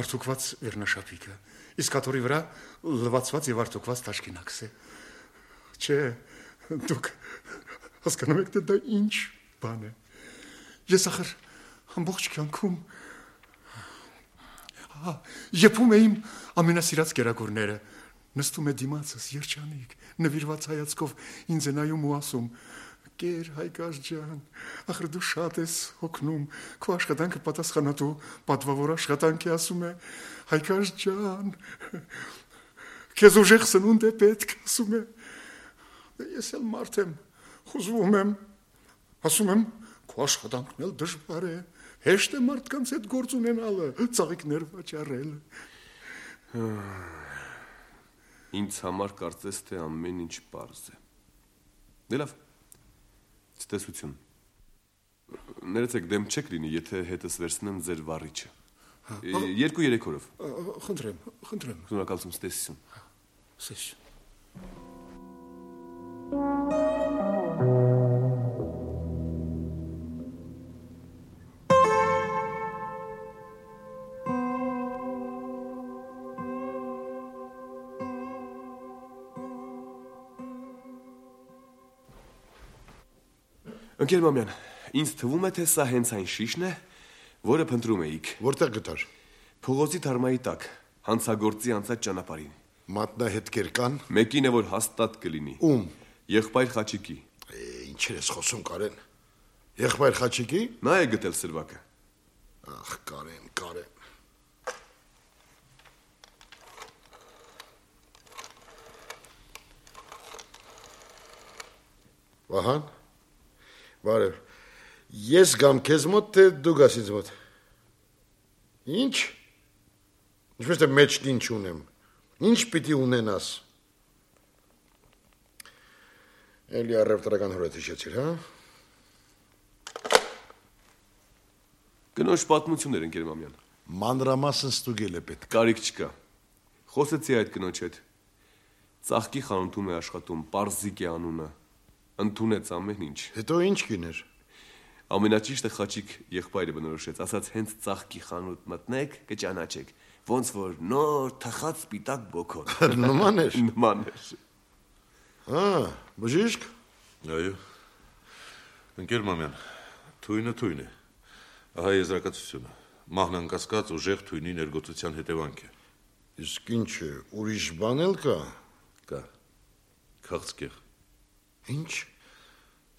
արդուկված վերնաշապիկը, իսկ աթոռի վրա լվացված և արդուկված տաշկինակս է։ Չէ, դուք հասկանում եք, թե դա ինչ բան է։ Ես ախր ամբողջ կյանքում եփում եմ ամենասիրած կերակուրները, նստում է դիմացս երջանիկ, նվիրված հայացքով ինձ է նայում ու ասում. «Կեր Հայկազ ջան, ախր դու շատ ես հոգնում, քո աշխատանքը պատասխանատու պատվավոր աշխատանք է», ասում է, «Հայկազ ջան, քեզ ուժեղ սնունդ է պետք», ասում է։ Ես էլ մարդ եմ, խուզվում եմ, ասում եմ, «Քո աշխատանքն էլ դժվար է, հեշտ է մարդկանց հետ գործ ունենալը, ծաղիկներ վաճառելը»։ Ինձ համար կարծես թե ամեն ինչ պարզ է։ Դե լավ, ցտեսություն։ Ներեցեք, դեմ չեք լինի, եթե հետս վերցնեմ ձեր վառիչը։ 2-3 օրով։ Խնդրեմ։ Շնորհակալություն, ցտեսություն։ Ցտեսություն։ Ընկեր Մամյան, ինձ թվում է, թե սա հենց այն շիշն է, որը փնտրում էիք։ Որտեղ գտար։ Փողոցի թարմայի տակ, հանցագործի անցած ճանապարհին։ Մատնահետքեր կան։ Մեկին է, որ հաստատ կլինի։ Ում։ Եղբայր Խաչիկի։ Ինչեր ես խոսում, Կարեն։ Եղբայր Խաչիկի։ Նա է գտել սրվակը։ Ախ, Կարեն։ Վահան։ Բարև, ես գամ քեզ մոտ, թե դու գաս ինձ մոտ։ Ինչ։ Ինչպես թե մեջք ինչ ունեմ։ Ինչ պիտի ունենաս։ Էլի առևտրական հորդ հիշեցիր, հա։ Կնոջ պատմություններ, ընկեր Մամյան։ Մանրամասն ստուգել է պետք։ Կարիք չկա։ Խոսեցի այդ կնոջ հետ։ Ծաղկի խանութում է աշխատում, Պարզիկ է անունը։ Ընդունեց ամեն ինչ։ Հետո ինչ կիներ։ Ամենաճիշտը Խաչիկ եղբայրը բնորոշեց, ասաց հենց ծաղկի խանութ մտնեք, կճանաչեք, ոնց որ նոր թխած սպիտակ բոքոն։ Նման էր։ Նման էր։ Բժիշկ։ Այո։ Ընկեր Մամյան, թույնը։ Ահա եզրակացությունը։ Մահն անկասկած ուժեղ թույնի ներգործության հետևանք է։ Իսկ ինչ է, ուրիշ բան էլ կա։ Կա։ Քաղցկեղ։ Ինչ։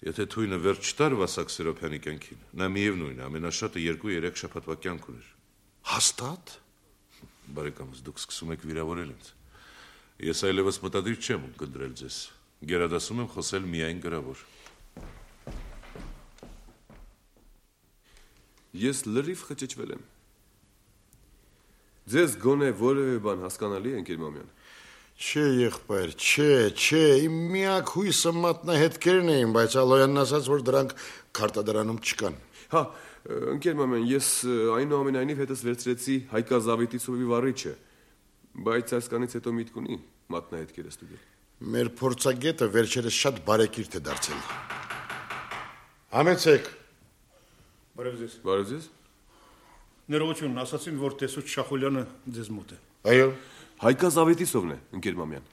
Եթե թույնը վերջ չտար Վասակ Սերոփյանի կյանքին, նա միևնույն է, ամենաշատը 2-3 շաբաթվա կյանք ուներ։ Հաստատ։ Բարեկամս, դուք սկսում եք վիրավորել ինձ։ Ես այլևս մտադիր չեմ կնդրել ձեզ։ Գերադասում եմ խոսել միայն գրավոր։ Ես լրիվ խճճվել եմ։ Ձեզ գոնե որևէ բան հասկանալի է, ընկեր Մամյան։ Չէ, եղբայր, չէ, իմ միակ հույսը մատնահետքերն էին, բայց Ալոյանն ասաց, որ դրանք քարտադրանում չկան։ Հա, ընկեր Մամյան, ես այնուամենայնիվ հետս վերցրեցի Հայկա Զավետի ծովի վառիչը, բայց այսքանից հետո միտք ունի մատնահետքերը ստուգել։ Մեր փորձագետը վերջերս շատ բարեկիրթ է դարձել։ Համեցեք։ Բարև ձեզ։ Ներողություն, ասացին, որ տեսուչ Շախոլյանը ձեզ մոտ է։ Այո։ Հայկազ Ավետիսովն է, ընկեր Մամյան։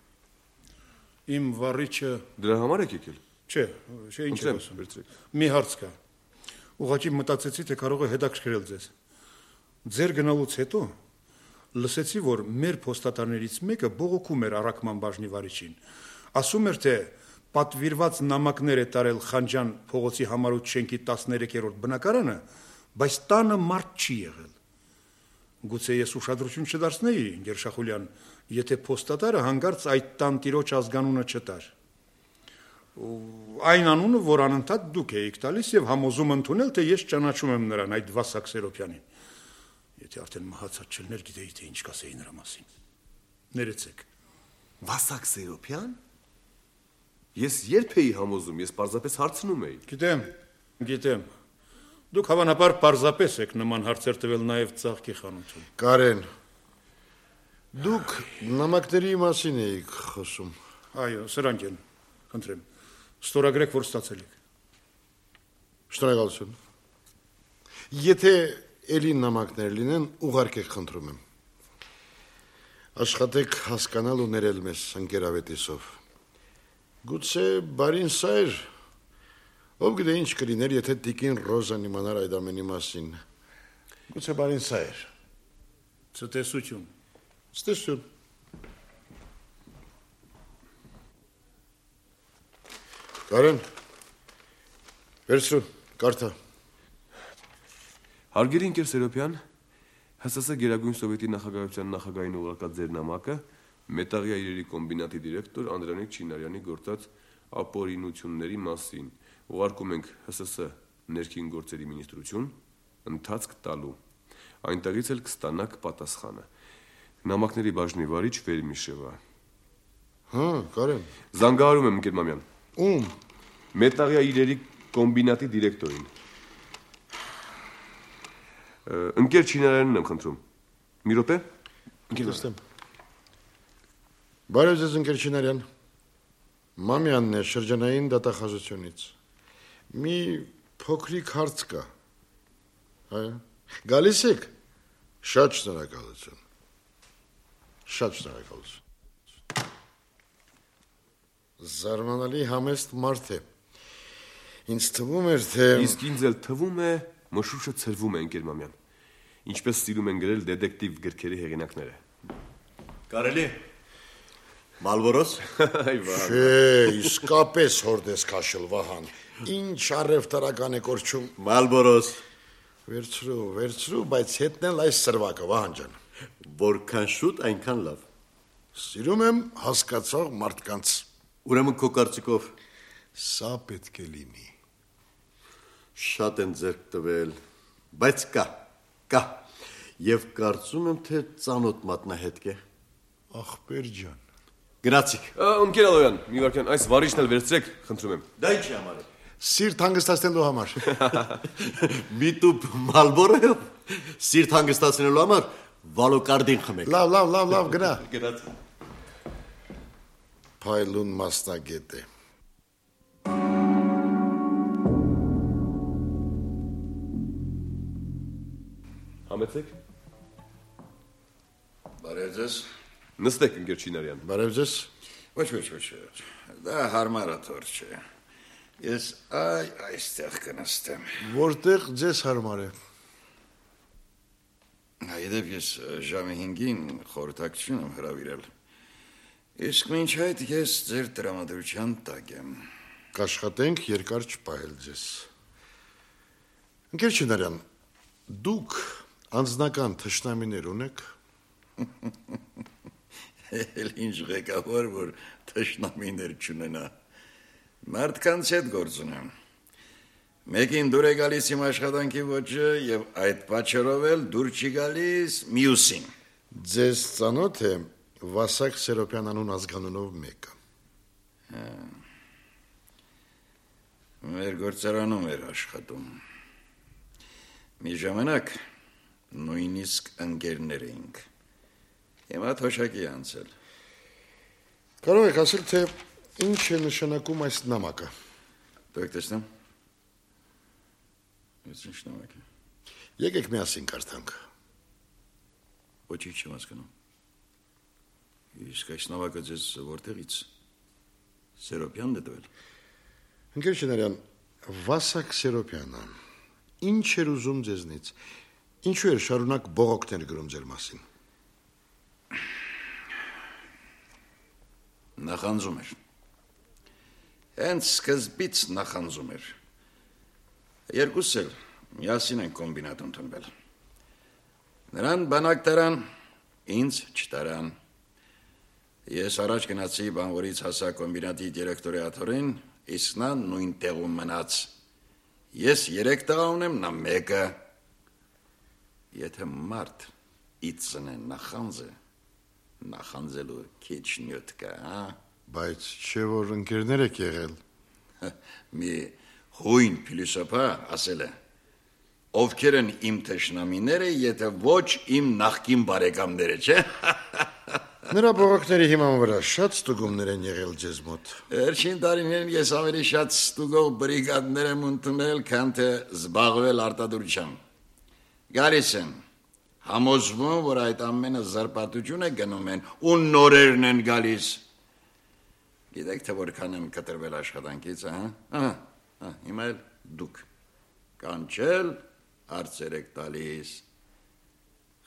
Իմ վառիչը Դրա համար եք եկել։ Չէ, ինչ է ասում։ Մի հարց կա։ Ուղղակի մտածեցի, թե կարող է հետաքրքրել ձեզ։ Ձեր գնալուց հետո լսեցի, որ մեր փոստատարներից մեկը բողոքում էր առաքման բաժնի վարիչին։ Ասում էր, թե պատվիրված նամակներ է տարել Խանջան փողոցի համառոտ շենքի 13-րդ բնակարանը, բայց տանը մարդ չի եղել։ Գուցե ես ուշադրություն չդարձնեի, ընկեր Շախուլյան, եթե փոստատարը հանգարց այդ տան տիրոջ ազգանունը չտար։ Այն անունը, որ անընդհատ դուք եք տալիս եւ համոզում ընդունել, թե ես ճանաչում եմ նրան, այդ Վասակ Սերոպյանին։ Եթե արդեն մահացած չլներ, գիտեի, թե ինչ կասեի նրա մասին։ Ներեցեք։ Վասակ Սերոպյան։ Ես երբ էի համոզում, ես պարզապես հարցնում էի։ Գիտեմ։ Դուք հավանաբար պարզապես եք նման հարցեր տվել նաև ծաղկի խանութում։ Կարեն, դուք նամակների մասին եք խոսում։ Այո, սրանք են, խնդրեմ, ստորագրեք, որ ստացել եք։ Շնորհակալություն։ Եթե էլի նամակներ լինեն, ուղարկեք, խնդրում եմ։ Աշխատեք հասկանալ ու ներել մեզ, ընկեր Ավետիսով։ Գուցե բարին սա էր, ով գիտե ինչ կլիներ, եթե տիկին Ռոզան իմանար այդ ամենի մասին։ Գուցե բարին սա էր։ Ցտեսություն։ Ցտեսություն։ Կարեն, վերցրու, կարդա։ Հարգելի ընկեր Սերոպյան, ՀՍՍ Գերագույն Սովետի նախագահության նախագահին ուղարկած ձեր նամակը Մետաղյա իրերի կոմբինատի դիրեկտոր Անդրանիկ Չինարյանի գործած ապօրինությունների մասին ուղարկում ենք ՀՍՍ ներքին գործերի մինիստրություն ընթացք տալու։ Այնտեղից էլ կստանաք պատասխանը։ Նամակների բաժնի վարիչ Վերմիշևա։ Հա, Կարեն։ Զանգահարում եմ ընկեր Մամյան։ Ում։ Մետաղյա իրերի կոմբինատի դիրեկտորին։ Ընկեր Չինարյանին եմ խնդրում։ Մի րոպե։ Ընկերստեմ։ Բարև ձեզ, ընկեր Չինարյան։ Մամյանն է շրջանային դատախազությունից։ Մի փոքրիկ հարց կա։ Այո։ Գալիս եք։ Շատ շնորհակալություն։ Շատ շնորհակալություն։ Զարմանալի համեստ մարդ է։ Ինձ թվում էր, թե Իսկ ինձ էլ թվում է, մշուշը ցրվում է, ընկեր Մամյան։ Ինչպես սիրում են գրել դետեկտիվ գրքերի հեղինակները։ Կարելի է։ Մալբորոս։ Չէ, իսկապես հորդես քաշել Վահան։ Ինչ առևտրական է կորչում։ Մալբորոս։ Վերցրու, բայց հետնել այս սրվակը, Վահան ջան։ Որքան շուտ, այնքան լավ։ Սիրում եմ հասկացող մարդկանց։ Ուրեմն քո կարծիքով Սա պետք է լինի։ Շատ են ձեռք տվել, բայց կա։ Եվ կարծում եմ, թե ծանոթ մատնահետք է։ Ախպեր ջան։ Գնացիք։ Ընկեր Ալոյան, մի վարքյան այս վարիչն էլ վերցրեք, խնդրում եմ։ Դա ինչի համար է։ Սիրտ հանգստացնելու համար։ Մի տուփ Մալբորոյով սիրտ հանգստացնելու համար վալոկարդին խմեք։ Լավ, գնա։ Գնացիք։ Փայլուն մասնագետ է։ Համեցեք։ Բարև ձեզ։ Նստեք, ընկեր Չինարյան։ Բարև ձեզ։ Ոչ։ Դա հարմար աթոռ չէ։ Ես այստեղ կնստեմ։ Որտեղ ձեզ հարմար է։ Այդպես ես ժամը 5-ին խորհրդակցություն եմ հրավիրել։ Իսկ մինչ այդ ես ձեր տրամադրության տակ եմ։ Կաշխատենք երկար չպահել ձեզ։ Ընկեր Չինարյան, դուք անձնական թշնամիներ ունեք։ Էլ ինչ ղեկավար, որ թշնամիներ չունենա։ Մարդկանց հետ գործ ունեմ։ Մեկին դուր է գալիս իմ աշխատանքի ոճը եւ այդ պատճառով էլ դուր չի գալիս մյուսին։ Ձեզ ծանոթ է Վասակ Սերոպյան անուն ազգանունով մեկը։ Մեր գործարանում էր աշխատում։ Մի ժամանակ նույնիսկ ընկերներ էինք։ Հիմա թոշակի անցել։ Կարող եք ասել, թե ինչ է նշանակում այս նամակը։ Դուք տեսնեմ։ Ես ինչ նամակ է։ Եկեք միասին կարդանք։ Ոչինչ չեմ հասկանում։ Իսկ այս նավակը ձեզ որտեղից Սերոպյանն է տվել։ Ընկեր Շինարյան, Վասակ Սերոպյանը ինչ էր ուզում ձեզնից։ Ինչու էր շարունակ բողոքներ գրում ձեր մասին։ Նախանձում էր։ Հենց սկզբից նախանձում էր։ Երկուսս էլ միասին են կոմբինատ ընդունվել։ Նրան բանակ տարան, ինձ չտարան։ Ես առաջ գնացի բանվորից հասա կոմբինատի դիրեկտորատորին, իսկ նա նույն տեղում մնաց։ Ես 3 տղա ունեմ, նա 1-ը։ Եթե մարդ իծն է նախանձելու քիչ նյութ կա, հա։ Բայց չէ որ ընկերներ եք եղել։ Մի հույն փիլիսոփա ասել է. ովքեր են իմ թշնամիները, եթե ոչ իմ նախկին բարեկամները, չէ։ Նրա բողոքների հիման վրա շատ ստուգումներ են եղել ձեզ մոտ։ Վերջին տարիներին ես ավելի շատ ստուգող բրիգադներ եմ ընդունել, քան թե զբաղվել արտադրությամբ։ Գալիս են, համոզվում, որ այդ ամենը զրպարտություն է գնում են ու նորերն են գալիս։ Գիտեք թե որքան եմ կտրվել աշխատանքից, հա։ Հիմա էլ դուք կանչել հարցեր եք տալիս։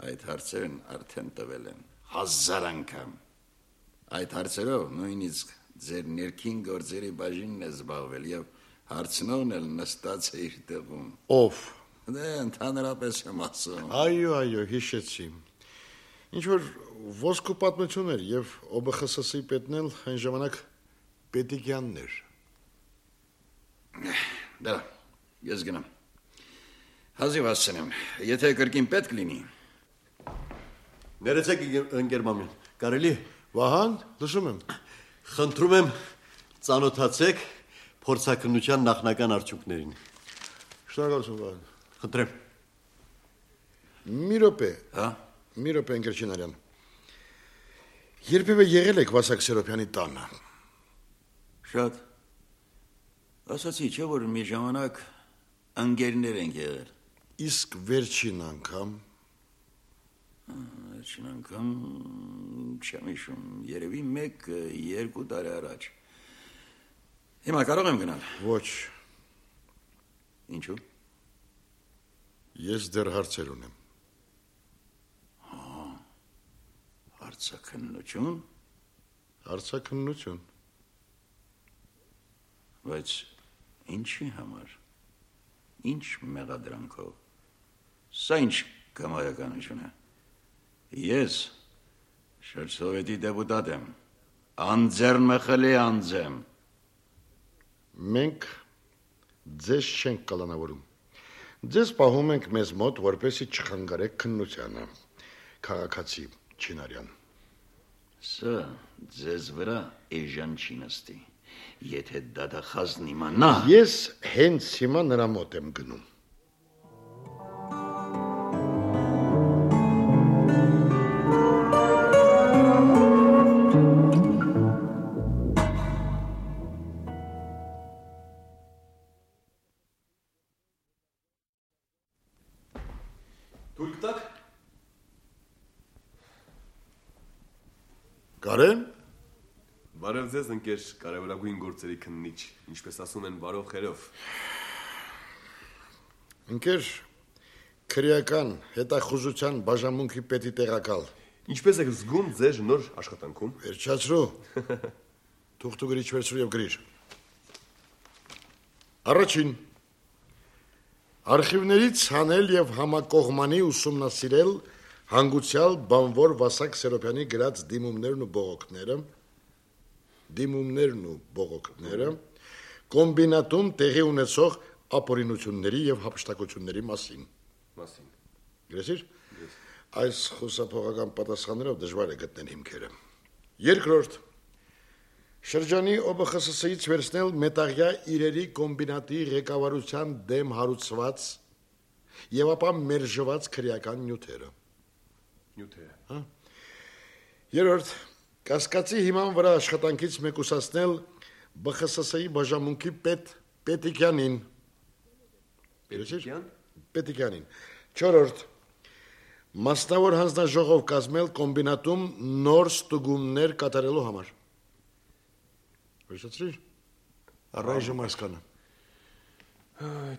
Այդ հարցերն արդեն տվել են 1000 անգամ։ Այդ հարցերով նույնիսկ ձեր ներքին գործերի բաժինն է զբաղվել եւ հարցնողն էլ նստած է իր տեղում։ Ով։ Դե ընդհանրապես եմ ասում։ Այո, հիշեցի։ Ինչ որ ոսկու պատմություն էր եւ ՕԲԽՍՍ-ի պետն էլ այն ժամանակ Պետիկյանն էր։ Դա, ես գնամ։ Հազիվ ասցնեմ, եթե կրկին պետք լինի։ Ներեցեք ընկեր մամին, կարելի։ Վահան, լսում եմ։ Խնդրում եմ ծանոթացեք փորձակնության նախնական արդյունքներին։ Շնորհակալություն, Վահան։ Խնդրեմ։ Մի րոպե, հա։ Մի րոպե, ընկեր Չինարյան։ Երբևէ եղել եք Վասակ Սերոպյանի տանը։ Շատ։ Ասացի, չէ՞ որ մի ժամանակ ընկերներ ենք եղել։ Իսկ վերջին անգամ։ Վերջին անգամ չեմ հիշում, երևի 1-2 տարի առաջ։ Հիմա կարող եմ գնալ։ Ոչ։ Ինչու։ Ես դեռ հարցեր ունեմ։ Հարցաքննություն։ Հարցաքննություն։ Բայց ինչի համար։ Ինչ մեղադրանքով։ Սա ինչ կամայականություն է։ Ես շրջսովետի դեպուտատ եմ։ Անձեռնմխելի անձ եմ։ Մենք ձեզ չենք կալանավորում։ Ձեզ պահում ենք մեզ մոտ, որպեսզի չխանգարեք քննությանը։ Քաղաքացի Չինարյան։ Սա ձեզ վրա էժան չի նստի։ Եթե դատախազն իմանա։ Ես հենց հիմա նրա մոտ եմ գնում։ Թույլ կտաք։ Կարեն։ Բարև ձեզ, ընկեր կարևորագույն գործերի քննիչ, ինչպես ասում են, բարով խերով։ Ընկեր քրեական հետախուզության բաժանմունքի պետի տեղակալ։ Ինչպես եք զգում ձեր նոր աշխատանքում։ Վերջացրու։ Թուղթ ու գրիչ վերցրու եւ գրիր։ Առաջին արխիվներից հանել եւ համակողմանի ուսումնասիրել հանգուցյալ բանվոր Վասակ Սերոպյանի գրած դիմումներն ու բողոքները, կոմբինատում տեղի ունեցող ապօրինությունների եւ հափշտակությունների մասին։ Գրեցի՞ր։ Այս խոսափողական պատասխաններով դժվար է գտնել հիմքերը։ Երկրորդ շրջանի ՕԲԽՍՍ-ից վերցնել մետաղյա իրերի կոմբինատի ղեկավարության դեմ հարուցված եւ ապա մերժված քրեական նյութերը։ Հա։ Երրորդ կասկածի հիման վրա աշխատանքից մեկուսացնել ԲԽՍՍ-ի բաժանմունքի պետ Պետիկյանին։ Պետիկյանին։ Չորրորդ Մասնավոր հանձնաժողով կազմել կոմբինատում նոր ստուգումներ կատարելու համար։ Հիշեցրի՞ր։ Առայժմ այսքանը։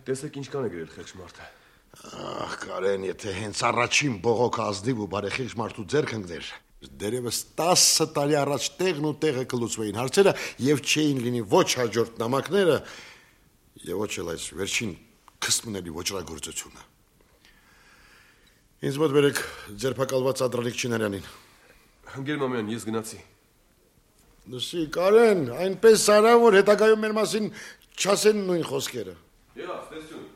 Տեսեք ինչքան է գրել խեղճ մարդը։ Ահ, Կարեն, եթե հենց առաջին բողոքը ազնիվ ու բարեխիղճ մարդու ձեռք ընկներ, դերևս 10 տարի առաջ տեղն ու տեղը կլուծվեին հարցերը եւ չէին լինի ոչ հաջորդ նամակները եւ ոչ էլ այս վերջին քստմների ոչրագործությունը։ Ինձ մոտ բերեք ձերբակալված Ադրալիկ Չինարյանին։ Գերմանյան, ես գնացի։ Լսի, Կարեն, այնպես արա, որ հետագայում մեր մասին չասեն նույն խոսքերը։ Յաս, տեսություն։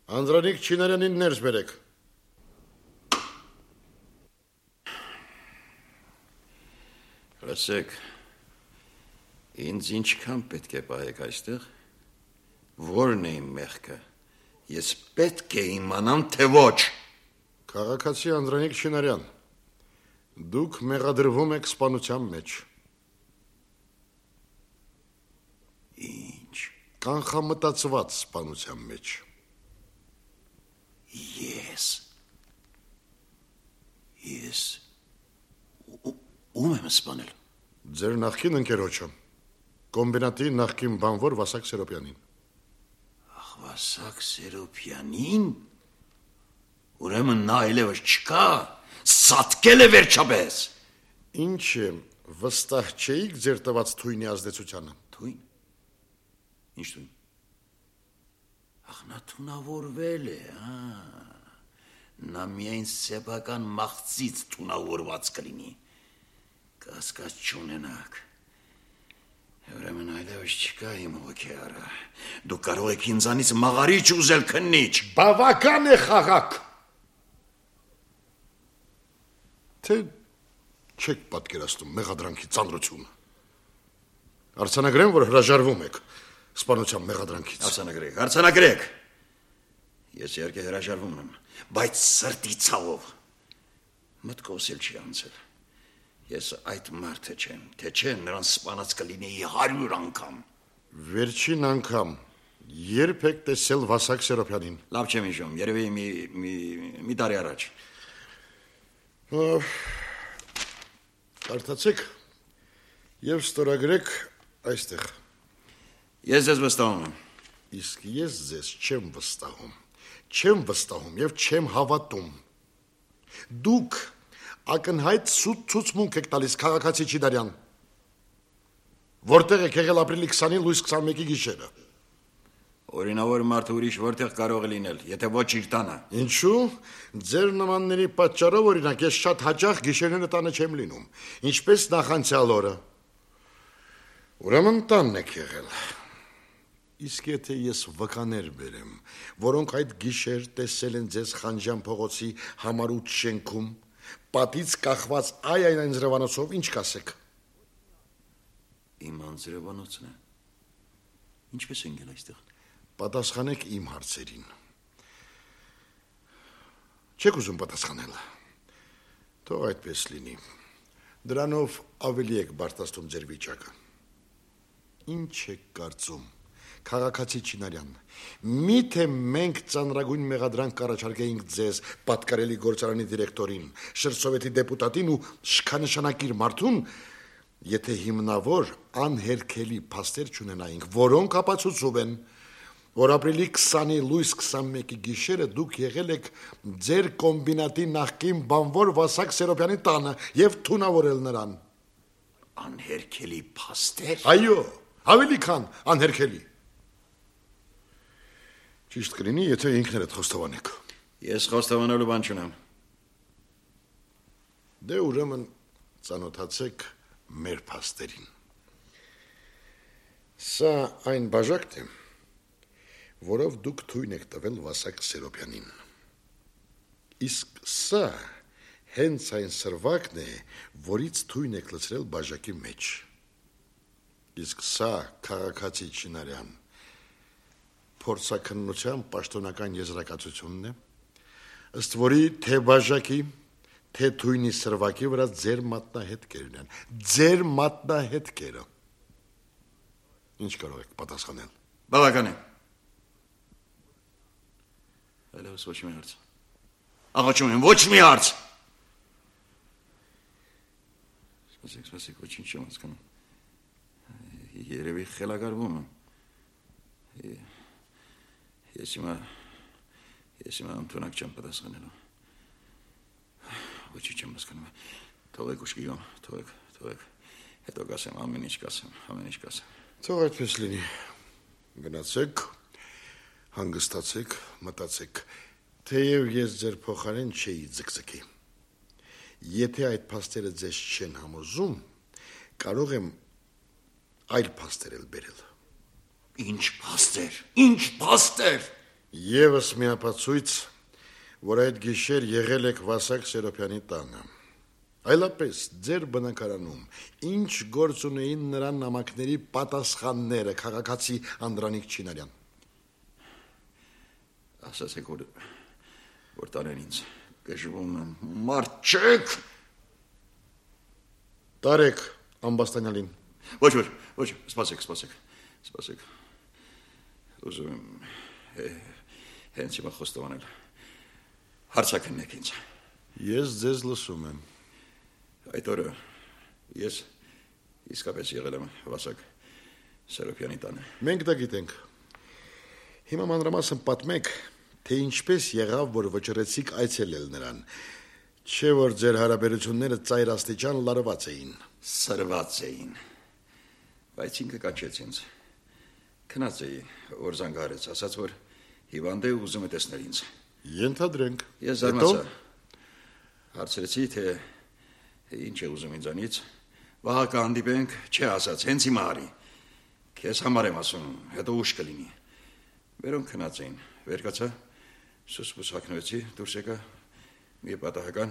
Անդրանիկ Չինարյանին ներս բերեք։ Լսեք, ինձ ինչքան պետք է պահեք այստեղ, որն է իմ մեղքը, ես պետք է իմանամ, թե ոչ։ Քաղաքացի Անդրանիկ Չինարյան, դուք մեղադրվում եք սպանության մեջ։ Ինչ։ Կանխամտածված սպանության մեջ։ Ես ում եմ սպանել։ Ձեր նախկին ընկերոջը, կոմբինատի նախկին բանվոր Վասակ Սերոպյանին։ Ախ, Վասակ Սերոպյանին։ Ուրեմն նա այլևս չկա, սատկել է վերջապես։ Ինչ է, վստահ չէիք ձեր տված թույնի ազդեցությանը։ Թույն։ Ինչ թույն։ Ախ, նա թունավորվել է, Նա միայն սեփական մաղձից թունավորված կլինի։ Կասկած չունենաք։ Ուրեմն այլևս չկա իմ հոգեարը։ Դուք կարող եք ինձանից մաղարիչ ուզել քննիչ։ Բավական է խաղաք։ Թե չեք պատկերացնում մեղադրանքի ծանրությունը։ Արձանագրեմ, որ հրաժարվում եք սպանության մեղադրանքից։ Արձանագրեք։ Ես իհարկե հրաժարվում եմ, բայց սրտի ցավով։ Մտքովս էլ չի անցել։ Ես այդ մարդը չեմ, թե չէ նրան սպանած կլինեի 100 անգամ։ Վերջին անգամ երբ եք տեսել Վասակ Սերոպյանին։ Լավ չեմ հիշում, երևի մի տարի առաջ։ Կարդացեք եւ ստորագրեք այստեղ։ Ես ձեզ վստահում եմ։ Իսկ ես ձեզ չեմ վստահում։ Չեմ վստահում եւ չեմ հավատում։ Դուք ակնհայտ սուտ ցուցմունք եք տալիս քաղաքացի Չինարյան։ Որտեղ եք եղել ապրիլի 20-ին լույս 21-ի գիշերը։ Օրինավոր մարդը ուրիշ որտեղ կարող է լինել, եթե ոչ իր տանը։ Ինչու՞։ Ձեր նմանների պատճառով օրինակ ես շատ հաճախ գիշերները տանը չեմ լինում, ինչպես նախանցյալ օրը։ Ուրեմն տանն եք եղել։ Իսկ եթե ես վկաներ բերեմ, որոնք այդ գիշեր տեսել են ձեզ Խանջան փողոցի համառուտ շենքում, պատից կախված այն անձրևանոցով, ինչ կասեք։ Իմ անձրևանոցն է։ Ինչպես են գել այստեղ։ Պատասխանեք իմ հարցերին։ Չեք ուզում պատասխանել։ Թող այդպես լինի։ Դրանով ավելի եք բարձրացնում ձեր վիճակը։ Ինչ եք կարծում, քաղաքացի Չինարյան, միթե մենք ծանրագույն մեղադրանք կառաջարկեինք ձեզ պատկարելի գործարանի դիրեկտորին, շրջսովետի դեպուտատին ու շքանշանակիր մարդուն, եթե հիմնավոր անհերքելի փաստեր չունենայինք, որոնք ապացուցում են, որ ապրիլի 20-ի լույս 21-ի գիշերը դուք եղել եք ձեր կոմբինատի նախկին բանվոր Վասակ Սերոպյանի տանը եւ թունավորել նրան։ Անհերքելի փաստեր։ Այո, ավելի քան անհերքելի։ Ճիշտ կլինի, եթե ինքներդ խոստովանեք։ Ես խոստովանելու բան չունեմ։ Դե ուրեմն ծանոթացեք մեր փաստերին։ Սա այն բաժակն է, որով դուք թույն եք տվել Վասակ Սերոպյանին։ Իսկ սա հենց այն սրվակն է, որից թույն եք լցրել բաժակի մեջ։ Իսկ սա քաղաքացի Չինարյան փորձաքննության պաշտոնական եզրակացությունն է, ըստ որի թե բաժակի, թե թույնի սրվակի վրա ձեր մատնահետքերն են, ձեր մատնահետքերը։ Ինչ կարող եք պատասխանել։ Բավական է։ Եվս ոչ մի հարց։ Աղաչում եմ, ոչ մի հարց։ Սպասեք, ոչինչ չեմ հասկանում։ Երևի խելագարվում եմ։ Ես հիմա ընդունակ չեմ պատասխանելու։ Ոչինչ չեմ հասկանում։ Թողեք ուշքի գամ, թողեք։ Հետո կասեմ, ամեն ինչ կասեմ։ Թող այդպես լինի։ Գնացեք, հանգստացեք, մտածեք, թեև ես ձեր փոխարեն չէի ձգձգի։ Եթե այդ փաստերը ձեզ չեն համոզում, կարող եմ այլ փաստեր էլ բերել։ Ինչ փաստեր։ Եվս մի ապացույց, որ այդ գիշեր եղել եք Վասակ Սերոպյանի տանը։ Այլապես ձեր բնակարանում ինչ գործ ունեին նրա նամակների պատասխանները, քաղաքացի Անդրանիկ Չինարյան։ Ասացեք, որ տարեն ինձ գժվում եմ, մարդ չեք։ Տարեք ամբաստանյալին։ Ոչ, սպասեք։ Ուզում եմ հենց հիմա խոստովանել։ Հարցակնեք ինձ։ Ես ձեզ լսում եմ։ Այդ օրը ես իսկապես եղել եմ Վասակ Սերոպյանի տանը։ Մենք դա գիտենք։ Հիմա մանրամասն պատմեք, թե ինչպես եղավ, որ վճռեցիք այցելել նրան, չէ որ ձեր հարաբերությունները ծայր աստիճան լարված էին։ Սրված էին, բայց ինքը կանչեց ինձ։ Քնած էի, որ զանգահարեց, ասաց, որ հիվանդ է ու ուզում է տեսնել ինձ։ Ենթադրենք։ Ես զարմացա։ Հարցրեցի, թե ինչ է ուզում ինձանից։ Վահակը հանդիպենք, չէ ասաց, հենց հիմա արի։ Քեզ համար եմ ասում, հետո ուշ կլինի։ Վերոնք քնած էին, վեր կացա, սուսպուս հագնվեցի, դուրս եկա, մի պատահական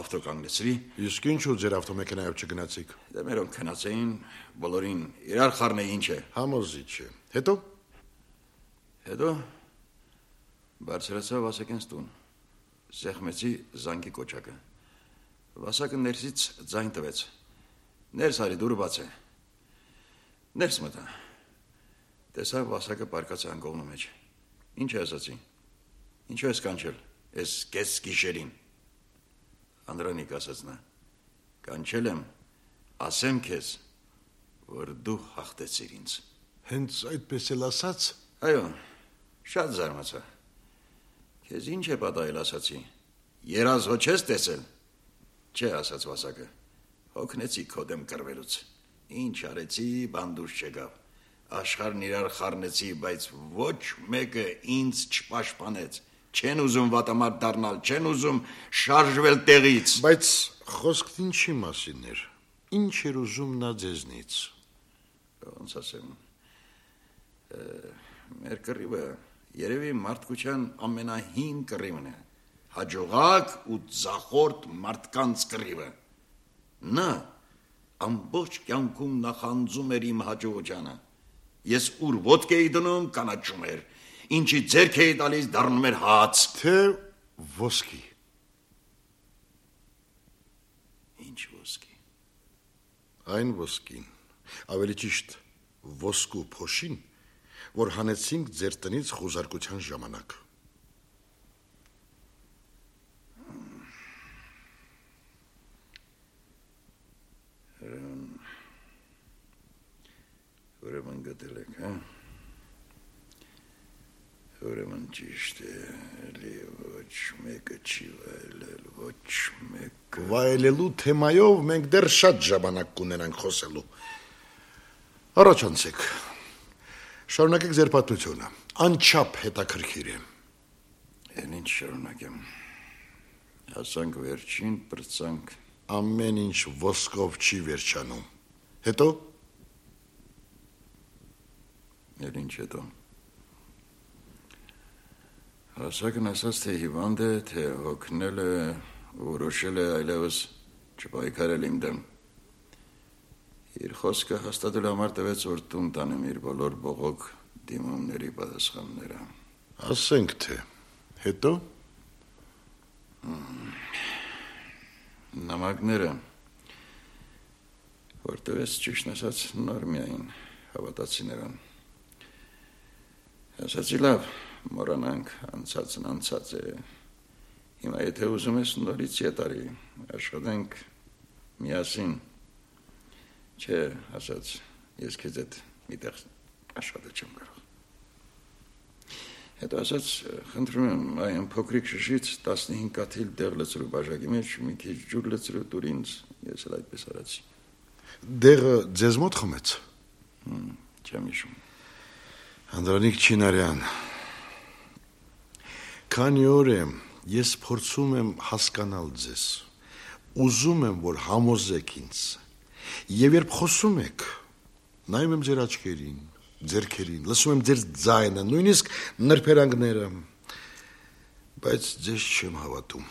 ավտո կանգնեցրի։ Իսկ ինչու ձեր ավտոմեքենայով չգնացիք։ Դե մերոնք քնած էին, բոլորին իրար խառնեի, ինչ է։ Համոզիչ է։ Հետո բարձրացա Վասակենց տուն, սեղմեցի զանգի կոչակը։ Վասակը ներսից ձայն տվեց։ Ներս արի, դուրը բաց է։ Ներս մտա։ Տեսա Վասակը պարկած է անկողնու մեջ։ Ինչ է ասացի։ Ինչու ես կանչել, ես կես գիշերին։ Անդրանիկ ասաց նա, կանչել եմ, ասեմ քեզ, որ դու հաղթեցիր ինձ։ Հենց այդպես էլ ասաց։ Այո, շատ զարմացա։ Քեզ ինչ է պատահել, ասացի։ Երազ հո չես տեսել։ Չէ, ասաց Վասակը։ Հոգնեցի քո դեմ կռվելուց։ Ինչ արեցի, բան դուրս չեկավ։ Աշխարհն իրար խառնեցի, բայց ոչ մեկը ինձ չպաշտպանեց։ Չեն ուզում վատամարդ դառնալ, չեն ուզում շարժվել տեղից։ Բայց խոսքն ինչի մասին էր։ Ինչ էր ուզում նա ձեզնից։ Ոնց ասեմ։ Մեր կռիվը երևի մարդկության ամենահին կռիվն է։ Հաջողակ ու ձախորդ մարդկանց կռիվը։ Նա ամբողջ կյանքում նախանձում էր իմ հաջողությանը։ Ես ուր ոտք էի դնում, կանաչում էր։ Ինչի ձեռք էի տալիս, դառնում էր հաց։ Թե ոսկի։ Ինչ ոսկի։ Այն ոսկին, ավելի ճիշտ ոսկու փոշին, որ հանեցինք ձեր տնից խուզարկության ժամանակ։ Ուրեմն գտել եք, հա։ Ուրեմն ճիշտ է, էլի ոչ մեկը չի վայելել, ոչ մեկը։ Վայելելու թեմայով մենք դեռ շատ ժամանակ կունենանք խոսելու։ Առաջանցեք։ Շարունակեք ձեր պատմությունը։ Անչափ հետաքրքիր է։ Են ինչ շարունակեմ։ Հասանք վերջին, պրծանք։ Ամեն ինչ ոսկով չի վերջանում։ Հետո։ Էլ ինչ հետո։ Հասակն ասաց, թե հիվանդ է, թե հոգնել է, որոշել է այլևս չպայքարել իմ դեմ։ Իր խոսքը հաստատելու համար տվեց, որ տուն տանեմ իր բոլոր բողոք դիմումների պատասխանները։ Ասենք թե, հետո։ Նամակները, որ տվեց ճիշտ ասած նոր միայն հավատացի նրան։ Ասացի լավ, մոռանանք անցածն անցած է։ Հիմա եթե ուզում ես նորից ետարի, աշխատենք միասին։ Չէ, ասած, ես քեզ հետ միտեղ աշխատել չեմ կարող։ Հետո ասած, խնդրում եմ, այն փոքրիկ շշից 15 կաթիլ դեղ լցրու բաժակի մեջ, մի քիչ ջուր լցրու տուր ինձ, ես էլ այդպես արեցի։ Դեղը ձեզ մոտ խմեց։ Չեմ հիշում։ Անդրանիկ Չինարյան, քանի օր է ես փորձում եմ հասկանալ ձեզ, ուզում եմ, որ համոզեք ինձ, եւ երբ խոսում եք, նայում եմ ձեր աչքերին, ձեռքերին, լսում եմ ձեր ձայնը, նույնիսկ նրբերանգները, բայց ձեզ չեմ հավատում։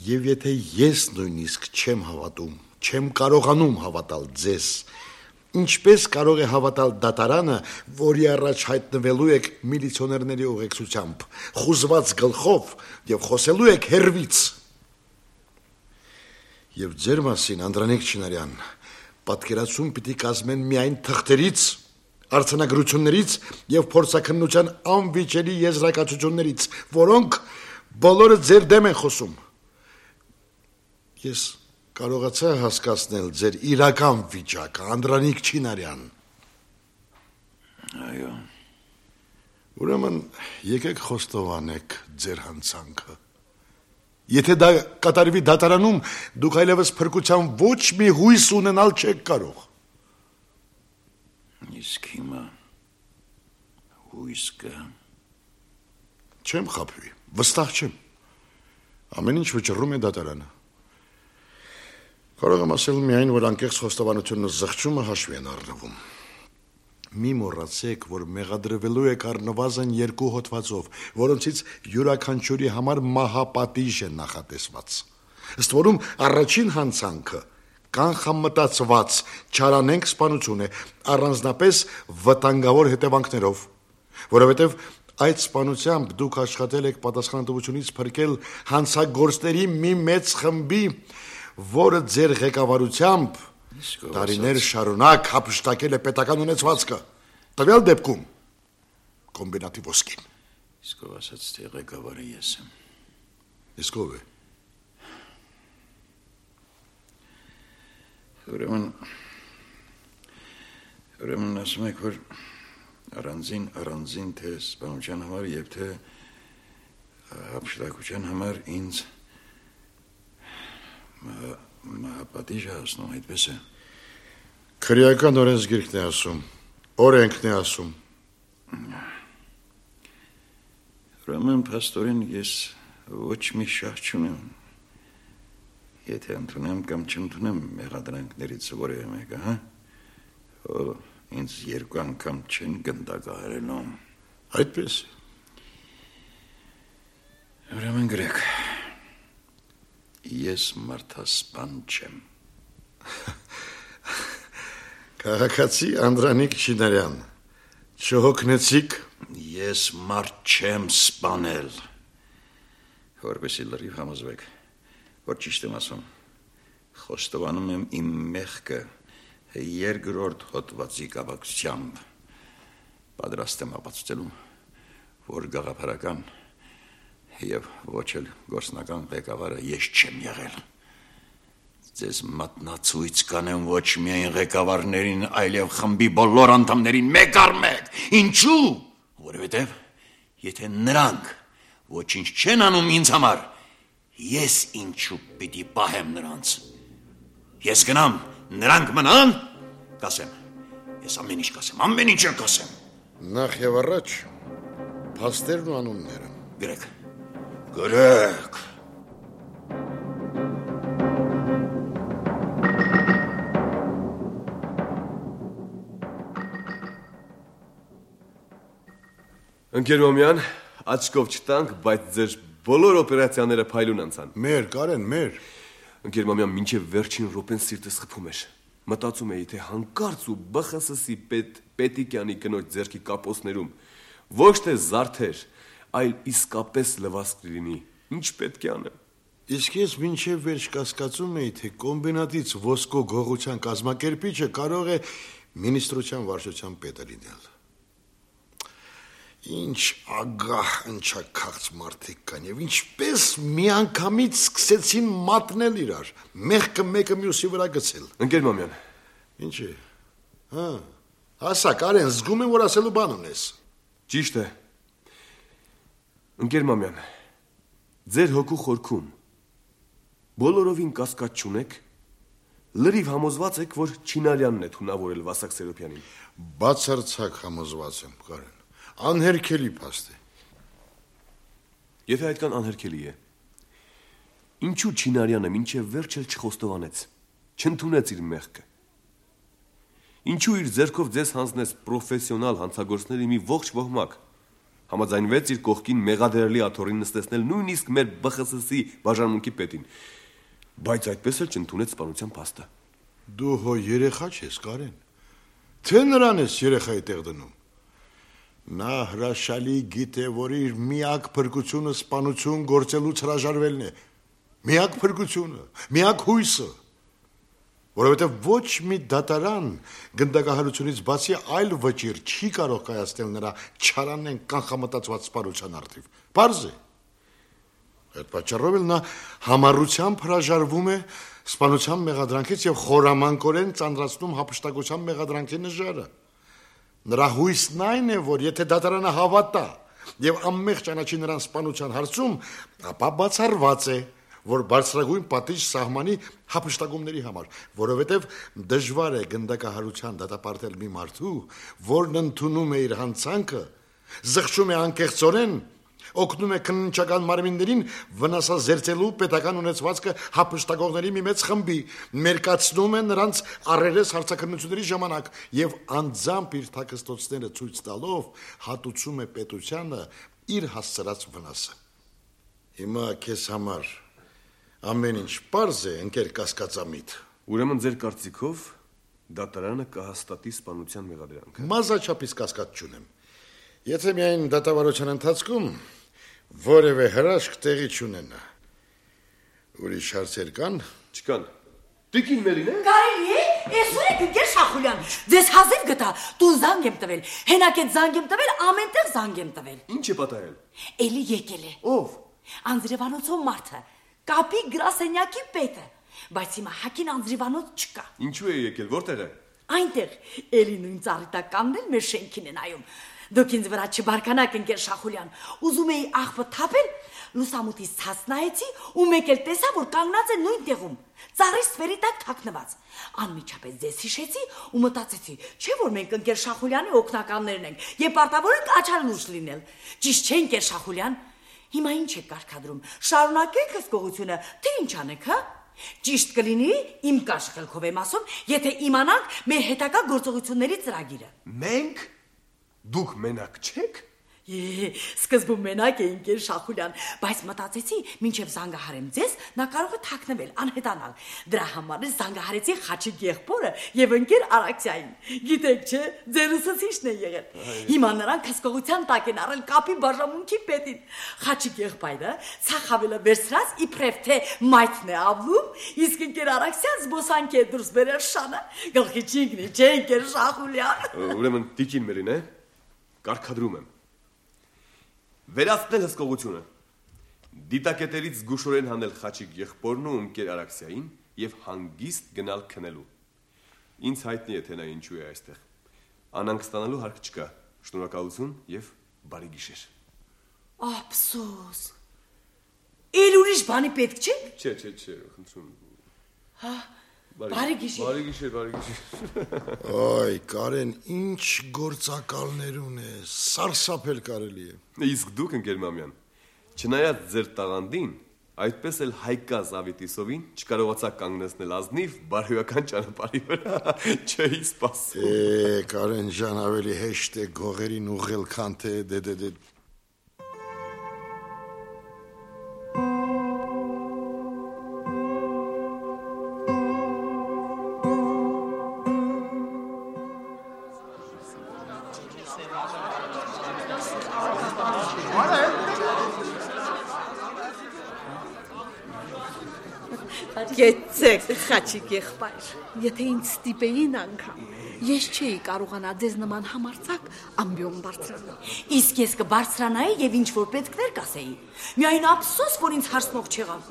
Եվ եթե ես նույնիսկ չեմ հավատում, չեմ կարողանում հավատալ ձեզ, ինչպես կարող է հավատալ դատարանը, որի առաջ հայտնվելու եք միլիցիոներների ուղեկցությամբ, խուզված գլխով եւ խոսելու եք հերվից։ Եվ ձեր մասին, Անդրանիկ Չինարյան, պատկերացում պիտի կազմեն միայն թղթերից, արձանագրություններից եւ փորձաքննության անվիճելի եզրակացություններից, որոնք բոլորը ձեր դեմ են խոսում։ Ես կարողացա հասկացնել ձեր իրական վիճակը, Անդրանիկ Չինարյան։ Այո։ Ուրեմն եկեք խոստովանեք ձեր հանցանքը։ Եթե դա կատարվի դատարանում, դուք այլևս փրկության ոչ մի հույս ունենալ չեք կարող։ Իսկ հիմա հույս կա։ Չեմ խաբվի, վստահ չեմ։ Ամեն ինչ վճռում է դատարանը։ Կարող եմ ասել միայն, որ անկեղծ խոստովանությունն ու զղջումը հաշվի են առնվում։ Մի մոռացեք, որ մեղադրվելու եք առնվազն 2 հոդվածով, որոնցից յուրաքանչյուրի համար մահապատիժ է նախատեսված։ Ըստ որում առաջին հանցանքը կանխամտածված չարանենք սպանություն է, առանձնապես վտանգավոր հետևանքներով, որովհետև այդ սպանությամբ դուք աշխատել եք պատասխանատվությունից փրկել հանցագործների մի մեծ խմբի, որը ձեր ղեկավարությամբ տարիներ շարունակ հափշտակել է պետական ունեցվածքը, տվյալ դեպքում կոմբինատի ոսկին։ Իսկ ով ասաց, թե ղեկավարը ես եմ։ Իսկ ով է։ Ուրեմն ասում եք, որ առանձին թե սպանության համար եւ թե հափշտակության համար ինձ մահապատիժ հասնում, այդպես է։ Քրեական օրենսգիրքն է ասում, օրենքն է ասում։ Ուրեմն փաստորեն ես ոչ մի շահ չունեմ։ Եթե ընդունեմ կամ չընդունեմ մեղադրանքներից որևէ մեկը, հա? Ինձ 2 անգամ չեն գնդակահարելու։ Այդպես։ Ուրեմն գրեք, ես մարդասպան չեմ։ Քաղաքացի Անդրանիկ Չինարյան, չհոգնեցիք։ Ես մարդ չեմ սպանել։ Որպեսզի լրիվ համոզվեք, որ ճիշտ եմ ասում, խոստովանում եմ իմ մեղքը 2-րդ հոդվածի կապակցությամբ, պատրաստ եմ ապացուցելու, որ գաղափարական եւ ոչ էլ գործնական ղեկավարը ես չեմ եղել։ Ձեզ մատնացույց կանեմ ոչ միայն ղեկավարներին, այլև խմբի բոլոր անդամներին մեկ առ մեկ։ Ինչու՞։ Որովհետև եթե նրանք ոչինչ չեն անում ինձ համար, ես ինչու պիտի պահեմ նրանց։ Ես գնամ, նրանք մնան, կասեմ։ Ես ամեն ինչ կասեմ, ամեն ինչ կասեմ։ Նախ եւ առաջ փաստերն ու անունները։ Գրեք։ Գրեք։ Ընկեր Մամյան, աչքով չտանք, բայց ձեր բոլոր օպերացիաները փայլուն անցան։ Մեր, Կարեն, մեր։ Ընկեր Մամյան, մինչև վերջին րոպեն սիրտս խփում էր։ Մտածում էի, թե հանկարծ ու ԲԽՍ-ի Պետիկյանի կնոջ ձեռքի կապոցներում ոչ թե զարդեր, այլ իսկապես լվասկ լինի։ Ինչ պետք է անեմ։ Իսկ ես մինչև վերջ կասկածում էի, թե կոմբինատից ոսկո գողության կազմակերպիչը կարող է մինիստրության վարչության պետը լինել։ Ինչ ագահ ընչաքաղց մարդիկ կան եւ ինչպես միանգամից սկսեցին մատնել իրար, մեղքը մեկը մյուսի վրա գցել։ Ընկեր Մամյան։ Ինչ է։ Հա։ Ասա, Կարեն, զգում եմ, որ ասելու բան ունես։ Ճիշտ է։ Ընկեր Մամյան, ձեր հոգու խորքում բոլորովին կասկած չունեք, լրիվ համոզված եք, որ Չինարյանն է թունավորել Վասակ Սերոբյանին։ Բացարձակ համոզված եմ, Կարեն։ Անհերքելի փաստ է։ Եթե այդքան անհերքելի է, ինչու Չինարյանը մինչև վերջ էլ չխոստովանեց, չընդունեց իր մեղքը։ Ինչու իր ձեռքով ձեզ հանձնեց պրոֆեսիոնալ հանցագործների մի ողջ ոհմակ, համաձայնվեց իր կողքին մեղադրելի աթոռին նստեցնել նույնիսկ մեր ԲԽՍ-ի բաժանմունքի պետին, բայց այդպես էլ չընդունեց սպանության փաստը։ Դու հո երեխա չես, Կարեն։ Թե նրան ես երեխայի տեղ դնում։ Նա հրաշալի գիտե, որ իր միակ փրկությունը սպանություն գործելուց հրաժարվելն է։ Միակ փրկությունը, միակ հույսը։ Որովհետև ոչ մի դատարան գնդակահարությունից բացի այլ վճիռ չի կարող կայացնել նրա չարանեն կանխամտածված սպանության առթիվ։ Պարզ է։ Այդ պատճառով էլ նա համառությամբ հրաժարվում է սպանության մեղադրանքից եւ խորամանկորեն ծանրացնում հափշտակության մեղադրանքի նժարը։ Նրա հույսն այն է, որ եթե դատարանը հավատա եւ անմեղ ճանաչի նրան սպանության հարցում, ապա բացառված է, որ բարձրագույն պատիժ սահմանի հափշտակումների համար, որովհետեւ դժվար է գնդակահարության դատապարտել մի մարդու, որն ընդունում է իր հանցանքը, զղջում է անկեղծորեն, օգնում է քննչական մարմիններին վնասազերծելու պետական ունեցվածքը հափշտակողների մի մեծ խմբի, մերկացնում է նրանց առերես հարցաքննությունների ժամանակ եւ անձամբ իր թաքստոցները ցույց տալով հատուցում է պետությանը իր հասցրած վնասը։ Հիմա քեզ համար ամեն ինչ պարզ է, ընկեր կասկածամիտ։ Ուրեմն ձեր կարծիքով դատարանը կհաստատի սպանության մեղադրանքը։ Մազաչափից կասկած չունեմ։ Եթե միայն դատավարության ընթացքում որևէ հրաշք տեղի չունենա։ Ուրիշ հարցեր կան։ Չկան։ Տիկին Մերին է։ Կարելի է, այսօր եք ընկեր Շախուլյան։ Ձեզ հազիվ գտա, տուն զանգ եմ տվել, հենակետ զանգ եմ տվել, ամենտեղ զանգ եմ տվել։ Ինչ է պատահել։ Էլի եկել է։ Ով։ Անձրևանոցով մարդը, կապի գրասենյակի պետը, բայց հիմա հակին անձրևանոց չկա։ Ինչու է եկել, որտեղ է։ Այնտեղ էլի նույն ծառիտականն էլ մեր շենքին է նայում։ Դուք ինձ վրա չբարկանաք, ընկեր Շախուլյան, ուզում էի աղբը թափել, լուսամուտից ցած նայեցի ու մեկ էլ տեսա, որ կանգնած է նույն տեղում, ծառի սվերի տակ թաքնված։ Անմիջապես ձեզ հիշեցի ու մտածեցի, չէ՞ որ մենք ընկեր Շախուլյանի օգնականներն ենք եւ պարտավոր ենք աչալուշ լինել։ Ճիշտ չէ, ընկեր Շախուլյան։ Հիմա ինչ եք կարգադրում։ Շարունակեք հսկողությունը, թե ինչ անեք, հա։ Ճիշտ կլինի, իմ կաշխելքով եմ ասում, եթե իմանանք մեր հետագա գործողությունների ծրագիրը։ Մենք Դուք մենակ չեք։ Սկզբում մենակ է ընկեր Շախուլյան, բայց մտածեցի, մինչև զանգահարեմ ձեզ, նա կարող է թաքնվել, անհետանալ։ Դրա համար զանգահարեցի Խաչիկ եղբորը եւ ընկեր Արաքսիային։ Գիտեք չէ, ձեր ուսուցիչն է եղել։ Հիմա նրանք հսկողության տակ են առել կապի բաժանմունքի պետին։ Խաչիկ եղբայրը ցախավելը վերցրած իբրև թե մայթն է ավլում, իսկ ընկեր Արաքսիան զբոսանք է դուրս բերել շանը։ Գլխի չինքնի, չէ ընկեր Շախուլյան։ Ուրեմն տիկին Մերին է։ Կարգադրում եմ։ Վերացնել հսկողությունը։ Դիտակետերից զգուշորեն հանել Խաչիկ եղբորն ու ընկեր Արաքսիային եւ հանգիստ գնալ քնելու։ Ինձ հայտնի է թե նա ինչու է այստեղ։ Անանք ստանալու հարկ չկա։ Շնորհակալություն եւ բարի գիշեր։ Ափսոս։ Էլ ուրիշ բանի պետք չէ։ Չէ, խնդրում։ Հա, բարի գիշեր։ Բարի գիշեր, բարի գիշեր։ Այ, Կարեն, ինչ գործակալներ ունես, սարսափել կարելի է։ Իսկ դուք, ընկեր Մամյան, չնայած ձեր տաղանդին, այդպես էլ Հայկա Զավիտիսովին չկարողացաք կանգնեցնել ազնիվ բարոյական ճանապարհի վրա, չէի սպասում։ Կարեն ջան, ավելի հեշտ է գողերին ուղղել, քան թե դե Գեցեք, խաչիկ եղբայր։ Եթե ինձ ստիպեին անգամ, ես չէի կարողանա ձեզ նման համարձակ ամբիոն բարձրանալ։ Իսկ ես կբարձրանայի եւ ինչ որ պետքներ կասեի։ Միայն ափսոս, որ ինձ հարցնող չեղավ։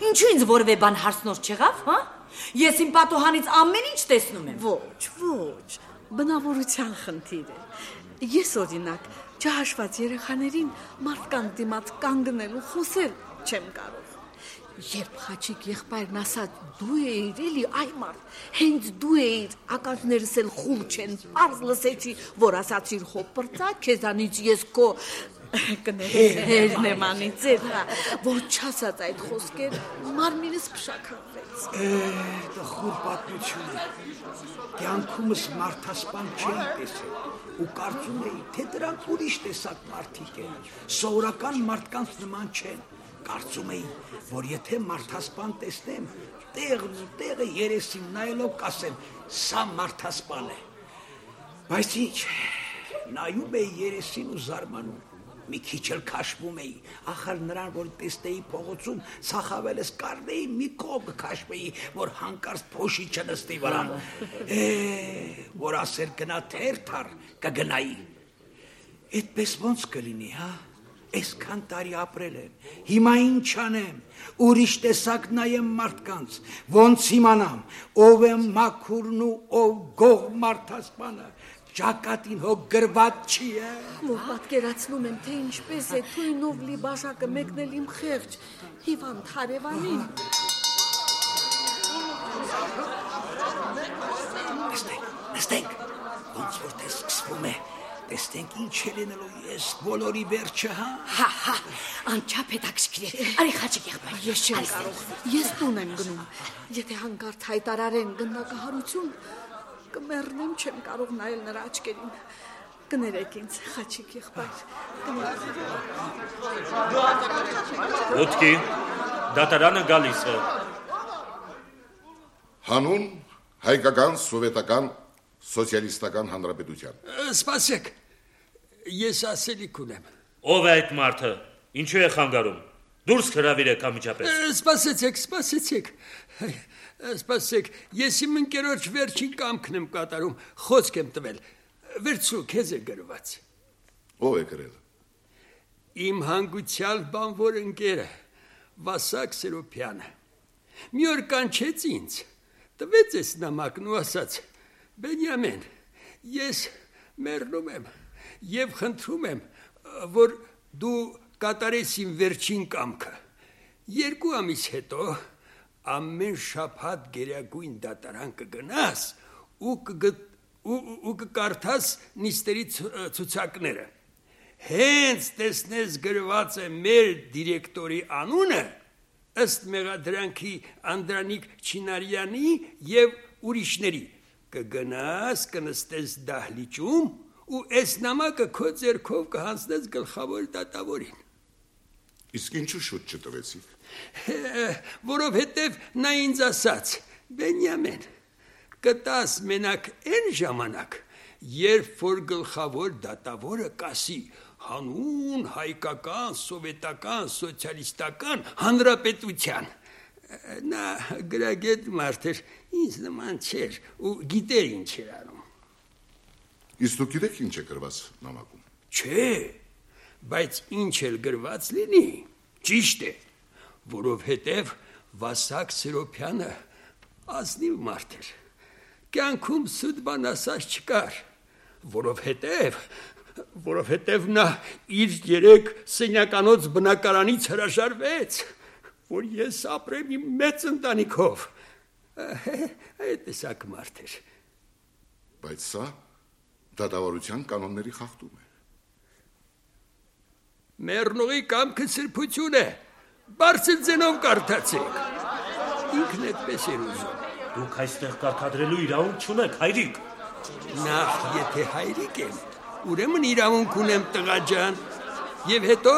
Ինչու ինձ որևէ բան հարցնող չեղավ, հա? Ես իմ պատոհանից ամեն ինչ տեսնում եմ։ Ոչ, բնավորության խնդիր է։ Ես օրինակ չհաշված երեխաներին մարդկանց դիմաց կանգնել ու խոսել չեմ կարող։ Երբ խաչիկ եղբայրն ասաց դու էիր էլի այ մարդ, հենց դու էիր, ականջներս էլ խուլ չեն, պարզ լսեցի, որ ասացիր հոպրծա, քեզանից ես քո կներերն եմ անիծել, որ չասած այդ խոսքեր, մարմինս փշաքաղվեց։ Տխուր պատմություն է։ Կյանքումս մարդասպան չէի տեսել ու կարծում էի, թե դրանք ուրիշ տեսակ մարդիկ են, սովորական մարդկանց նման չեն։ Կարծում էի, որ եթե մարդասպան տեսնեմ, տեղն ու տեղը երեսին նայելով կասեմ, սա մարդասպան է։ Բայց ինչ, նայում էի երեսին ու զարմանում, մի քիչ էլ քաշվում էի, ախր նրան, որ տեսնեի փողոցում, ցախավելս կառնեի, մի կողմ կքաշվեի, որ հանկարծ փոշի չնստի վրան, որ ասեր գնա թերթար, կգնայի։ Այդպես ոնց կլինի, հա? Այսքան տարի ապրել եմ, հիմա ինչ անեմ, ուրիշ տեսակ նայեմ մարդկանց, ոնց իմանամ, ով է մաքուրն ու ով գող մարդասպանը, ճակատին հոգ գրված չի է։ Որ պատկերացնում եմ, թե ինչպես է թույնով լի բաժակը մեկնել իմ խեղճ հիվանդ հարևանին։ Նստենք, ոնց որ թե սկսվում է, տեսնենք ինչ է լինելու ես բոլորի վերջը, հա։ Հա, անչափ հետաքրքիր է։ Արի խաչիկ եղբայր։ Ես չեմ կարող, ես տուն եմ գնում։ Եթե հանկարծ հայտարարեն գնդակահարություն, կմեռնեմ, չեմ կարող նայել նրա աչքերին։ Կներեք ինձ, խաչիկ եղբայր։ Ոտքի, դատարանը գալիս է։ Հանուն հայկական սովետական սոցիալիստական հանրապետության։ Սպասեք, ես ասելիք ունեմ։ Ով է այդ մարդը, ինչու է խանգարում, դուրս հրավիրեք ամիջապես։ Սպասեք, ես իմ ընկերոջ վերջին կամքն եմ կատարում, խոսք եմ տվել, վերցրու, քեզ է գրված։ Ով է գրել։ Իմ հանգուցյալ բանվոր ընկերը, Վասակ Սերոպյանը, մի օր կանչեց ինձ, տվեց ես նամակն ու ասաց, Բենյամեն, ես մեռնում եմ և խնդրում եմ, որ դու կատարես իմ վերջին կամքը։ 2 ամիս հետո ամեն շաբաթ գերագույն դատարան կգնաս ու կկարդաս նիստերի ցուցակները։ Հենց տեսնես գրված է մեր դիրեկտորի անունը, ըստ մեղադրանքի Անդրանիկ Չինարյանի և ուրիշների, կգնաս, կնստես դահլիճում ու այս նամակը քո ձեռքով կհանձնես գլխավոր դատավորին։ Իսկ ինչու շուտ չտվեցիք։ Որովհետև նա ինձ ասաց, Բենյամեն, կտաս մենակ այն ժամանակ, երբ որ գլխավոր դատավորը կասի հանուն հայկական, սովետական, սոցիալիստական հանրապետության։ Նա գրագետ մարդ էր, ինձ նման չէր ու գիտեր ինչ էր անում։ Իսկ դուք գիտեք ինչ է գրված նամակում։ Չէ, բայց ինչ էլ գրված լինի, ճիշտ է, որովհետև Վասակ Սերոպյանը ազնիվ մարդ էր, կյանքում սուտ բան ասած չկար, որովհետև նա իր 3 սենյականոց բնակարանից հրաժարվեց, որ ես ապրեմ իմ մեծ ընտանիքով, այդ տեսակ մարդ էր։ Բայց սա դատավարության կանոնների խախտում է։ Մեռնողի կամքը սրբություն է, բարձր ձենով կարդացեք։ Ինքն այդպես էր ուզում։ Դուք այստեղ կարդադրելու իրավունք չունեք, հայրիկ։ Նախ եթե հայրիկ եմ, ուրեմն իրավունք ունեմ տղա ջան, եւ հետո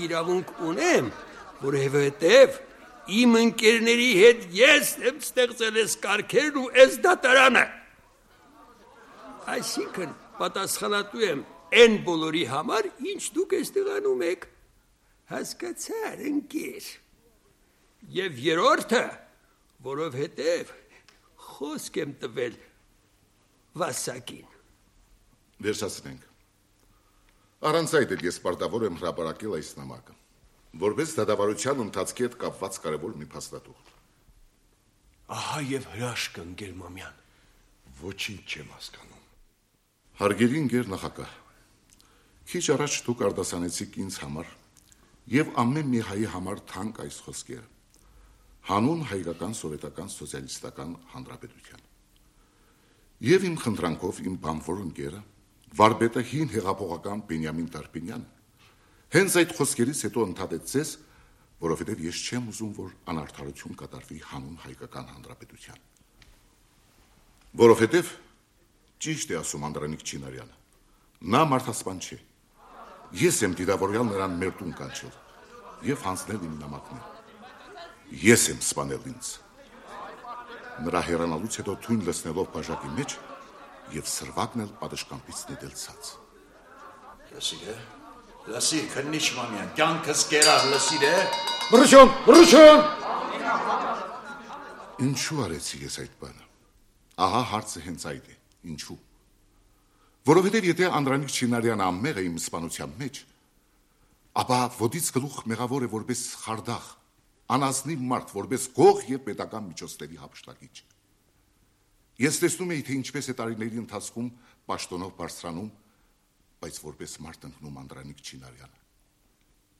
իրավունք ունեմ, որովհետև իմ ընկերների հետ ես եմ ստեղծել այս կարգերն ու այս դատարանը։ Այսինքն պատասխանատու եմ այն բոլորի համար, ինչ դուք այստեղ անում եք։ Հասկացար, ընկեր։ Եվ երրորդը որովհետև խոսք եմ տվել Վասակին։ Վերջացնենք։ Առանց այդ էլ ես պարտավոր եմ հրապարակել այս նամակը, որպես դատավարության ընթացքի հետ կապված կարևոր մի փաստաթուղթ։ Ահա եւ հրաշքը, ընկեր Մամյան։ Ոչինչ չեմ հասկանում։ Հարգելի ընկեր նախագահ, քիչ առաջ դուք արտասանեցիք ինձ համար եւ ամեն մի հայի համար թանկ այս խոսքերը։ Հանուն հայկական սովետական սոցիալիստական հանրապետության։ Եվ իմ խնդրանքով իմ բանվոր ընկերը, վարպետը հին հեղափոխական Բենյամին Տարպինյանը, հենց այդ խոսքերից հետո ընդհատեց ձեզ, որովհետև ես չեմ ուզում, որ անարդարություն կատարվի հանուն հայկական հանրապետության։ Որովհետև ճիշտ է ասում Անդրանիկ Չինարյանը, նա մարդասպան չէ։ Ես եմ դիտավորյալ նրան մեր տուն կանչել եւ հանձնել իմ նամակները։ Ես եմ սպանել ինձ։ Նրա հեռանալուց հետո թույն լցնելով բաժակի մեջ եւ սրվակն էլ պատշգամբից նետել ցած։ Լսի, քննիչ Մամյան, կյանքս կերար, լսիր է։ Բռչուն։ Ինչու արեցի ես այդ բանը։ Ահա հարցը հենց այդ է։ Ինչու։ Որովհետև եթե Անդրանիկ Չինարյանը ամեղ է իմ սպանության մեջ, ապա ոտից գլուխ մեղավոր է որպես խարդախ, անազնիվ մարդ, որպես գող եւ պետական միջոցների հափշտակիչ։ Ես տեսնում եի, թե ինչպես է տարիների ընթացքում պաշտոնով բարձրանում, բայց որպես մարդ ընկնում Անդրանիկ Չինարյանը։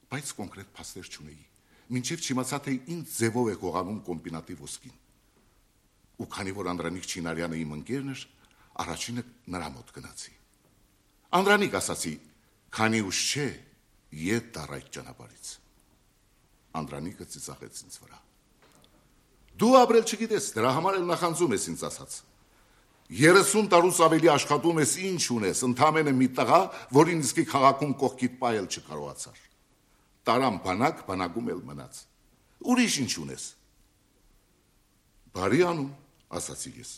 Բայց կոնկրետ փաստեր չունեի, մինչև չիմացա, թե ինչ ձևով է գողանում կոմբինատի ոսկին։ Ու քանի որ Անդրանիկ Չինարյանը իմ ընկերն էր, առաջինը նրա մոտ գնացի։ Անդրանիկ, ասացի, քանի ուշ չէ, ետ դառ այդ ճանապարհից։ Անդրանիկը ծիծաղեց ինձ վրա։ Դու ապրել չգիտես, դրա համար էլ նախանձում ես ինձ ասած։ 30 տարուց ավելի աշխատում ես, ինչ ունես, ընդամենը մի տղա, որին իսկի քաղաքում կողքիդ պայել չկարողացար։ Տարամ բանակ, բանակում էլ մնաց։ Ուրիշ ինչ ունես։ Բարի անում, ասացի ես։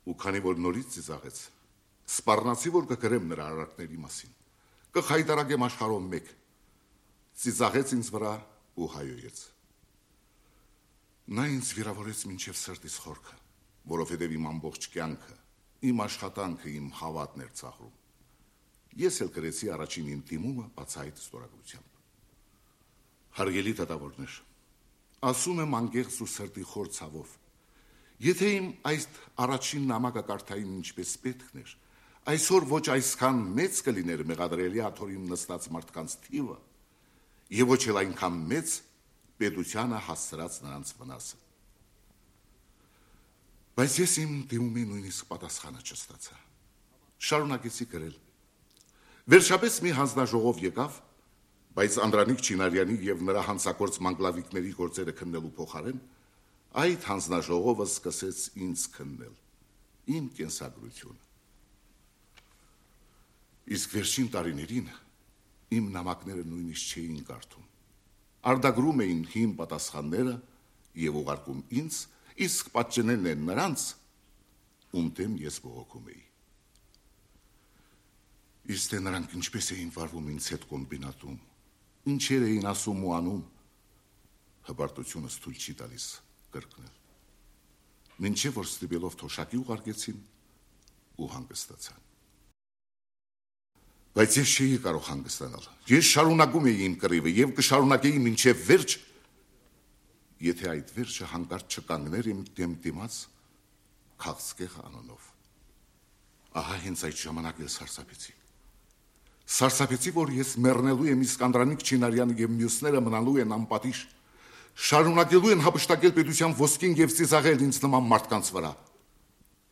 Ու քանի որ նորից ծիծաղեց, սպառնացի, որ կգրեմ նրա արարքների մասին, կխայտարակեմ աշխարհով մեկ։ Ծիծաղեց ինձ վրա ու հայոյեց։ Նա ինձ վիրավորեց մինչև սրտիս խորքը, որովհետև իմ ամբողջ կյանքը, իմ աշխատանքը, իմ հավատն էր ծաղրում։ Ես էլ գրեցի առաջին իմ դիմումը բացահայտ ստորագրությամբ։ Հարգելի դատավորներ, ասում եմ անկեղծ ու սրտի խոր ցավով, եթե իմ այս առաջին նամակը կարդային ինչպես պետքն էր, այսօր ոչ այսքան մեծ կլիներ մեղադրելի աթորին նստած մարդկանց թիվը, եւ ոչ էլ այնքան մեծ պետությանը հասցրած նրանց վնասը։ Բայց ես իմ դիմումի նույնիսկ պատասխանը չստացա։ Շարունակեցի գրել։ Վերջապես մի հանձնաժողով եկավ, բայց Անդրանիկ Չինարյանի եւ նրա հանցագործ մանգլավիկների գործերը քննելու փոխարեն այդ հանձնաժողովը սկսեց ինձ քննել, իմ կենսագրությունը։ Իսկ վերջին տարիներին իմ նամակները նույնիսկ չէին կարդում։ Արտագրում էին հին պատասխանները եւ ուղարկում ինձ, իսկ պատճենելն են նրանց, ում դեմ ես բողոքում էի։ Իսկ նրանք ինչպես էին վարվում ինձ հետ կոմբինատում, ինչեր էին ասում ու անում, հպարտությունս թույլ չի տալիս կրկնել։ Մինչև որ ստիպելով թոշակի ուղարկեցին ու հանգստացան։ Բայց ես չէի կարող հանգստանալ։ Ես շարունակում էի իմ կռիվը եւ կշարունակեի մինչև վերջ, եթե այդ վերջը հանկարծ չկանգներ իմ դեմ դիմաց քաղցկեղ անոնով։ Ահա հենց այդ ժամանակ ես սարսափեցի։ Սարսափեցի, որ ես մեռնելու եմ, իսկ Անդրանիկ Չինարյանը եւ մյուսները մնալու են անպատիժ, շարունակելու են հափշտակել պետության ոսկին եւ ծիծաղել ինձ նման մարդկանց վրա։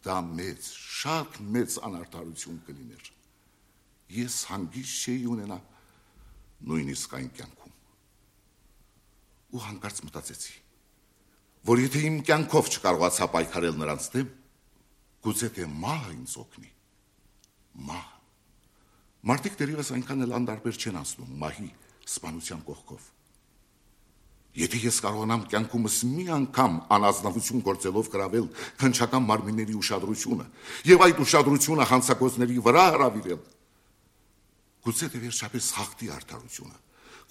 Դա մեծ, շատ մեծ անարդարություն կլիներ։ Ես հանգիստ չէի ունենա նույնիսկ այն կյանքում։ Ու հանկարծ մտածեցի, որ եթե իմ կյանքով չկարողացա պայքարել նրանց դեմ, գուցե թե մահը ինձ օգնի։ Մահ։ Մարդիկ դեռևս այնքան էլ անդարբեր չեն անցնում մահի սպանության կողքով։ Եթե ես կարողանամ կյանքումս մի անգամ անազնվություն գործելով գրավել քնչական մարմինների ուշադրությունը եւ այդ ուշադրությունը հանցագործների վրա հրավիրել, գուցե թե վերջապես հաղթի արդարությունը,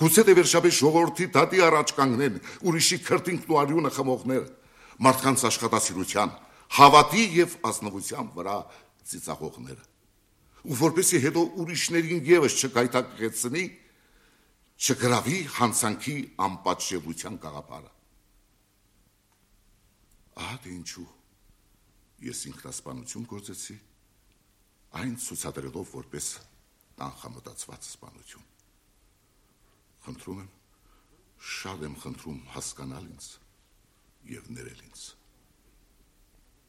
գուցե թե վերջապես ժողովրդի դատի առաջ կանգնեն ուրիշի քրտինքն ու արյունը խմողները, մարդկանց աշխատասիրության, հավատի եւ ազնվության վրա ծիծաղողները։ Ու որպեսզի հետո ուրիշներին եւս չկայտակեցնի, չգրավի հանցանքի անպատժելիության գաղափարը։ Ահա թե ինչու ես ինքնասպանություն գործեցի, այն ցուցադրելով որպես կանխամտածված սպանություն։ Խնդրում եմ, շատ եմ խնդրում հասկանալ ինձ եւ ներել ինձ։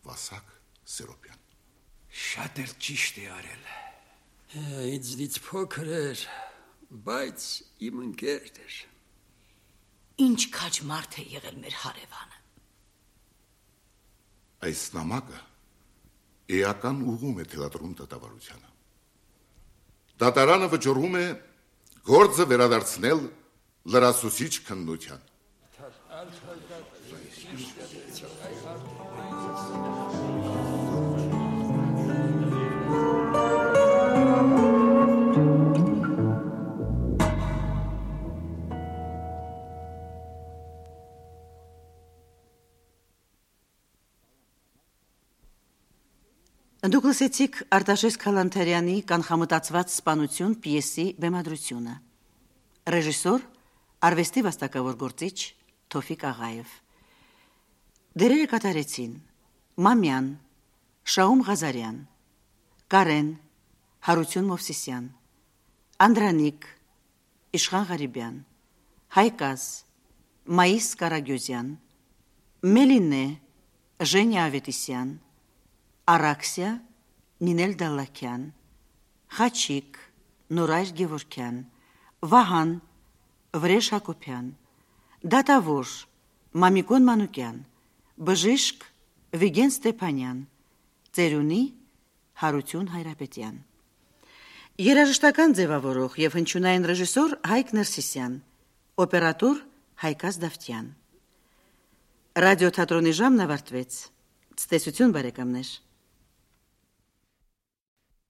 Վասակ Սերոպյան։ Շատ էլ ճիշտ է արել։ Ինձնից փոքր էր, բայց իմ ընկերն էր։ Ինչ քաջ մարդ է եղել մեր հարևանը։ Այս նամակը էական ուղում է թելադրում դատավարությանը։ Դատարանը վճռում է գործը վերադարձնել լրացուցիչ քննության։ Դուք լսեցիք Արտաշես Քալանթարյանի կանխամտածված սպանություն պիեսի բեմադրությունը։ Ռեժիսոր արվեստի վաստակավոր գործիչ Թոֆիկ Աղաև։ Դերերը կատարեցին Մամյան, Շաում Ղազարյան, Կարեն, Հարություն Մովսիսյան, Անդրանիկ, Իշխան Ղարիբյան, Հայկազ, Մայիս Կարագյոզյան, Մելինե, Ժենյա Ավետիսյան, Արաքսիա, Նինել Դալլաքյան, Խաչիկ, Նորայր Գևորքյան, Վահան, Վրեժ Հակոբյան, Դատավոր, Մամիկոն Մանուկյան, Բժիշկ, Վիգեն Ստեփանյան, Ծերունի, Հարություն Հայրապետյան։ Երաժշտական ձևավորող եւ հնչյունային ռեժիսոր Հայկ Ներսիսյան, օպերատոր Հայկազ Դավթյան։ Ռադիոթատրոնի ժամն ավարտվեց։ Ցտեսություն բարեկամներ։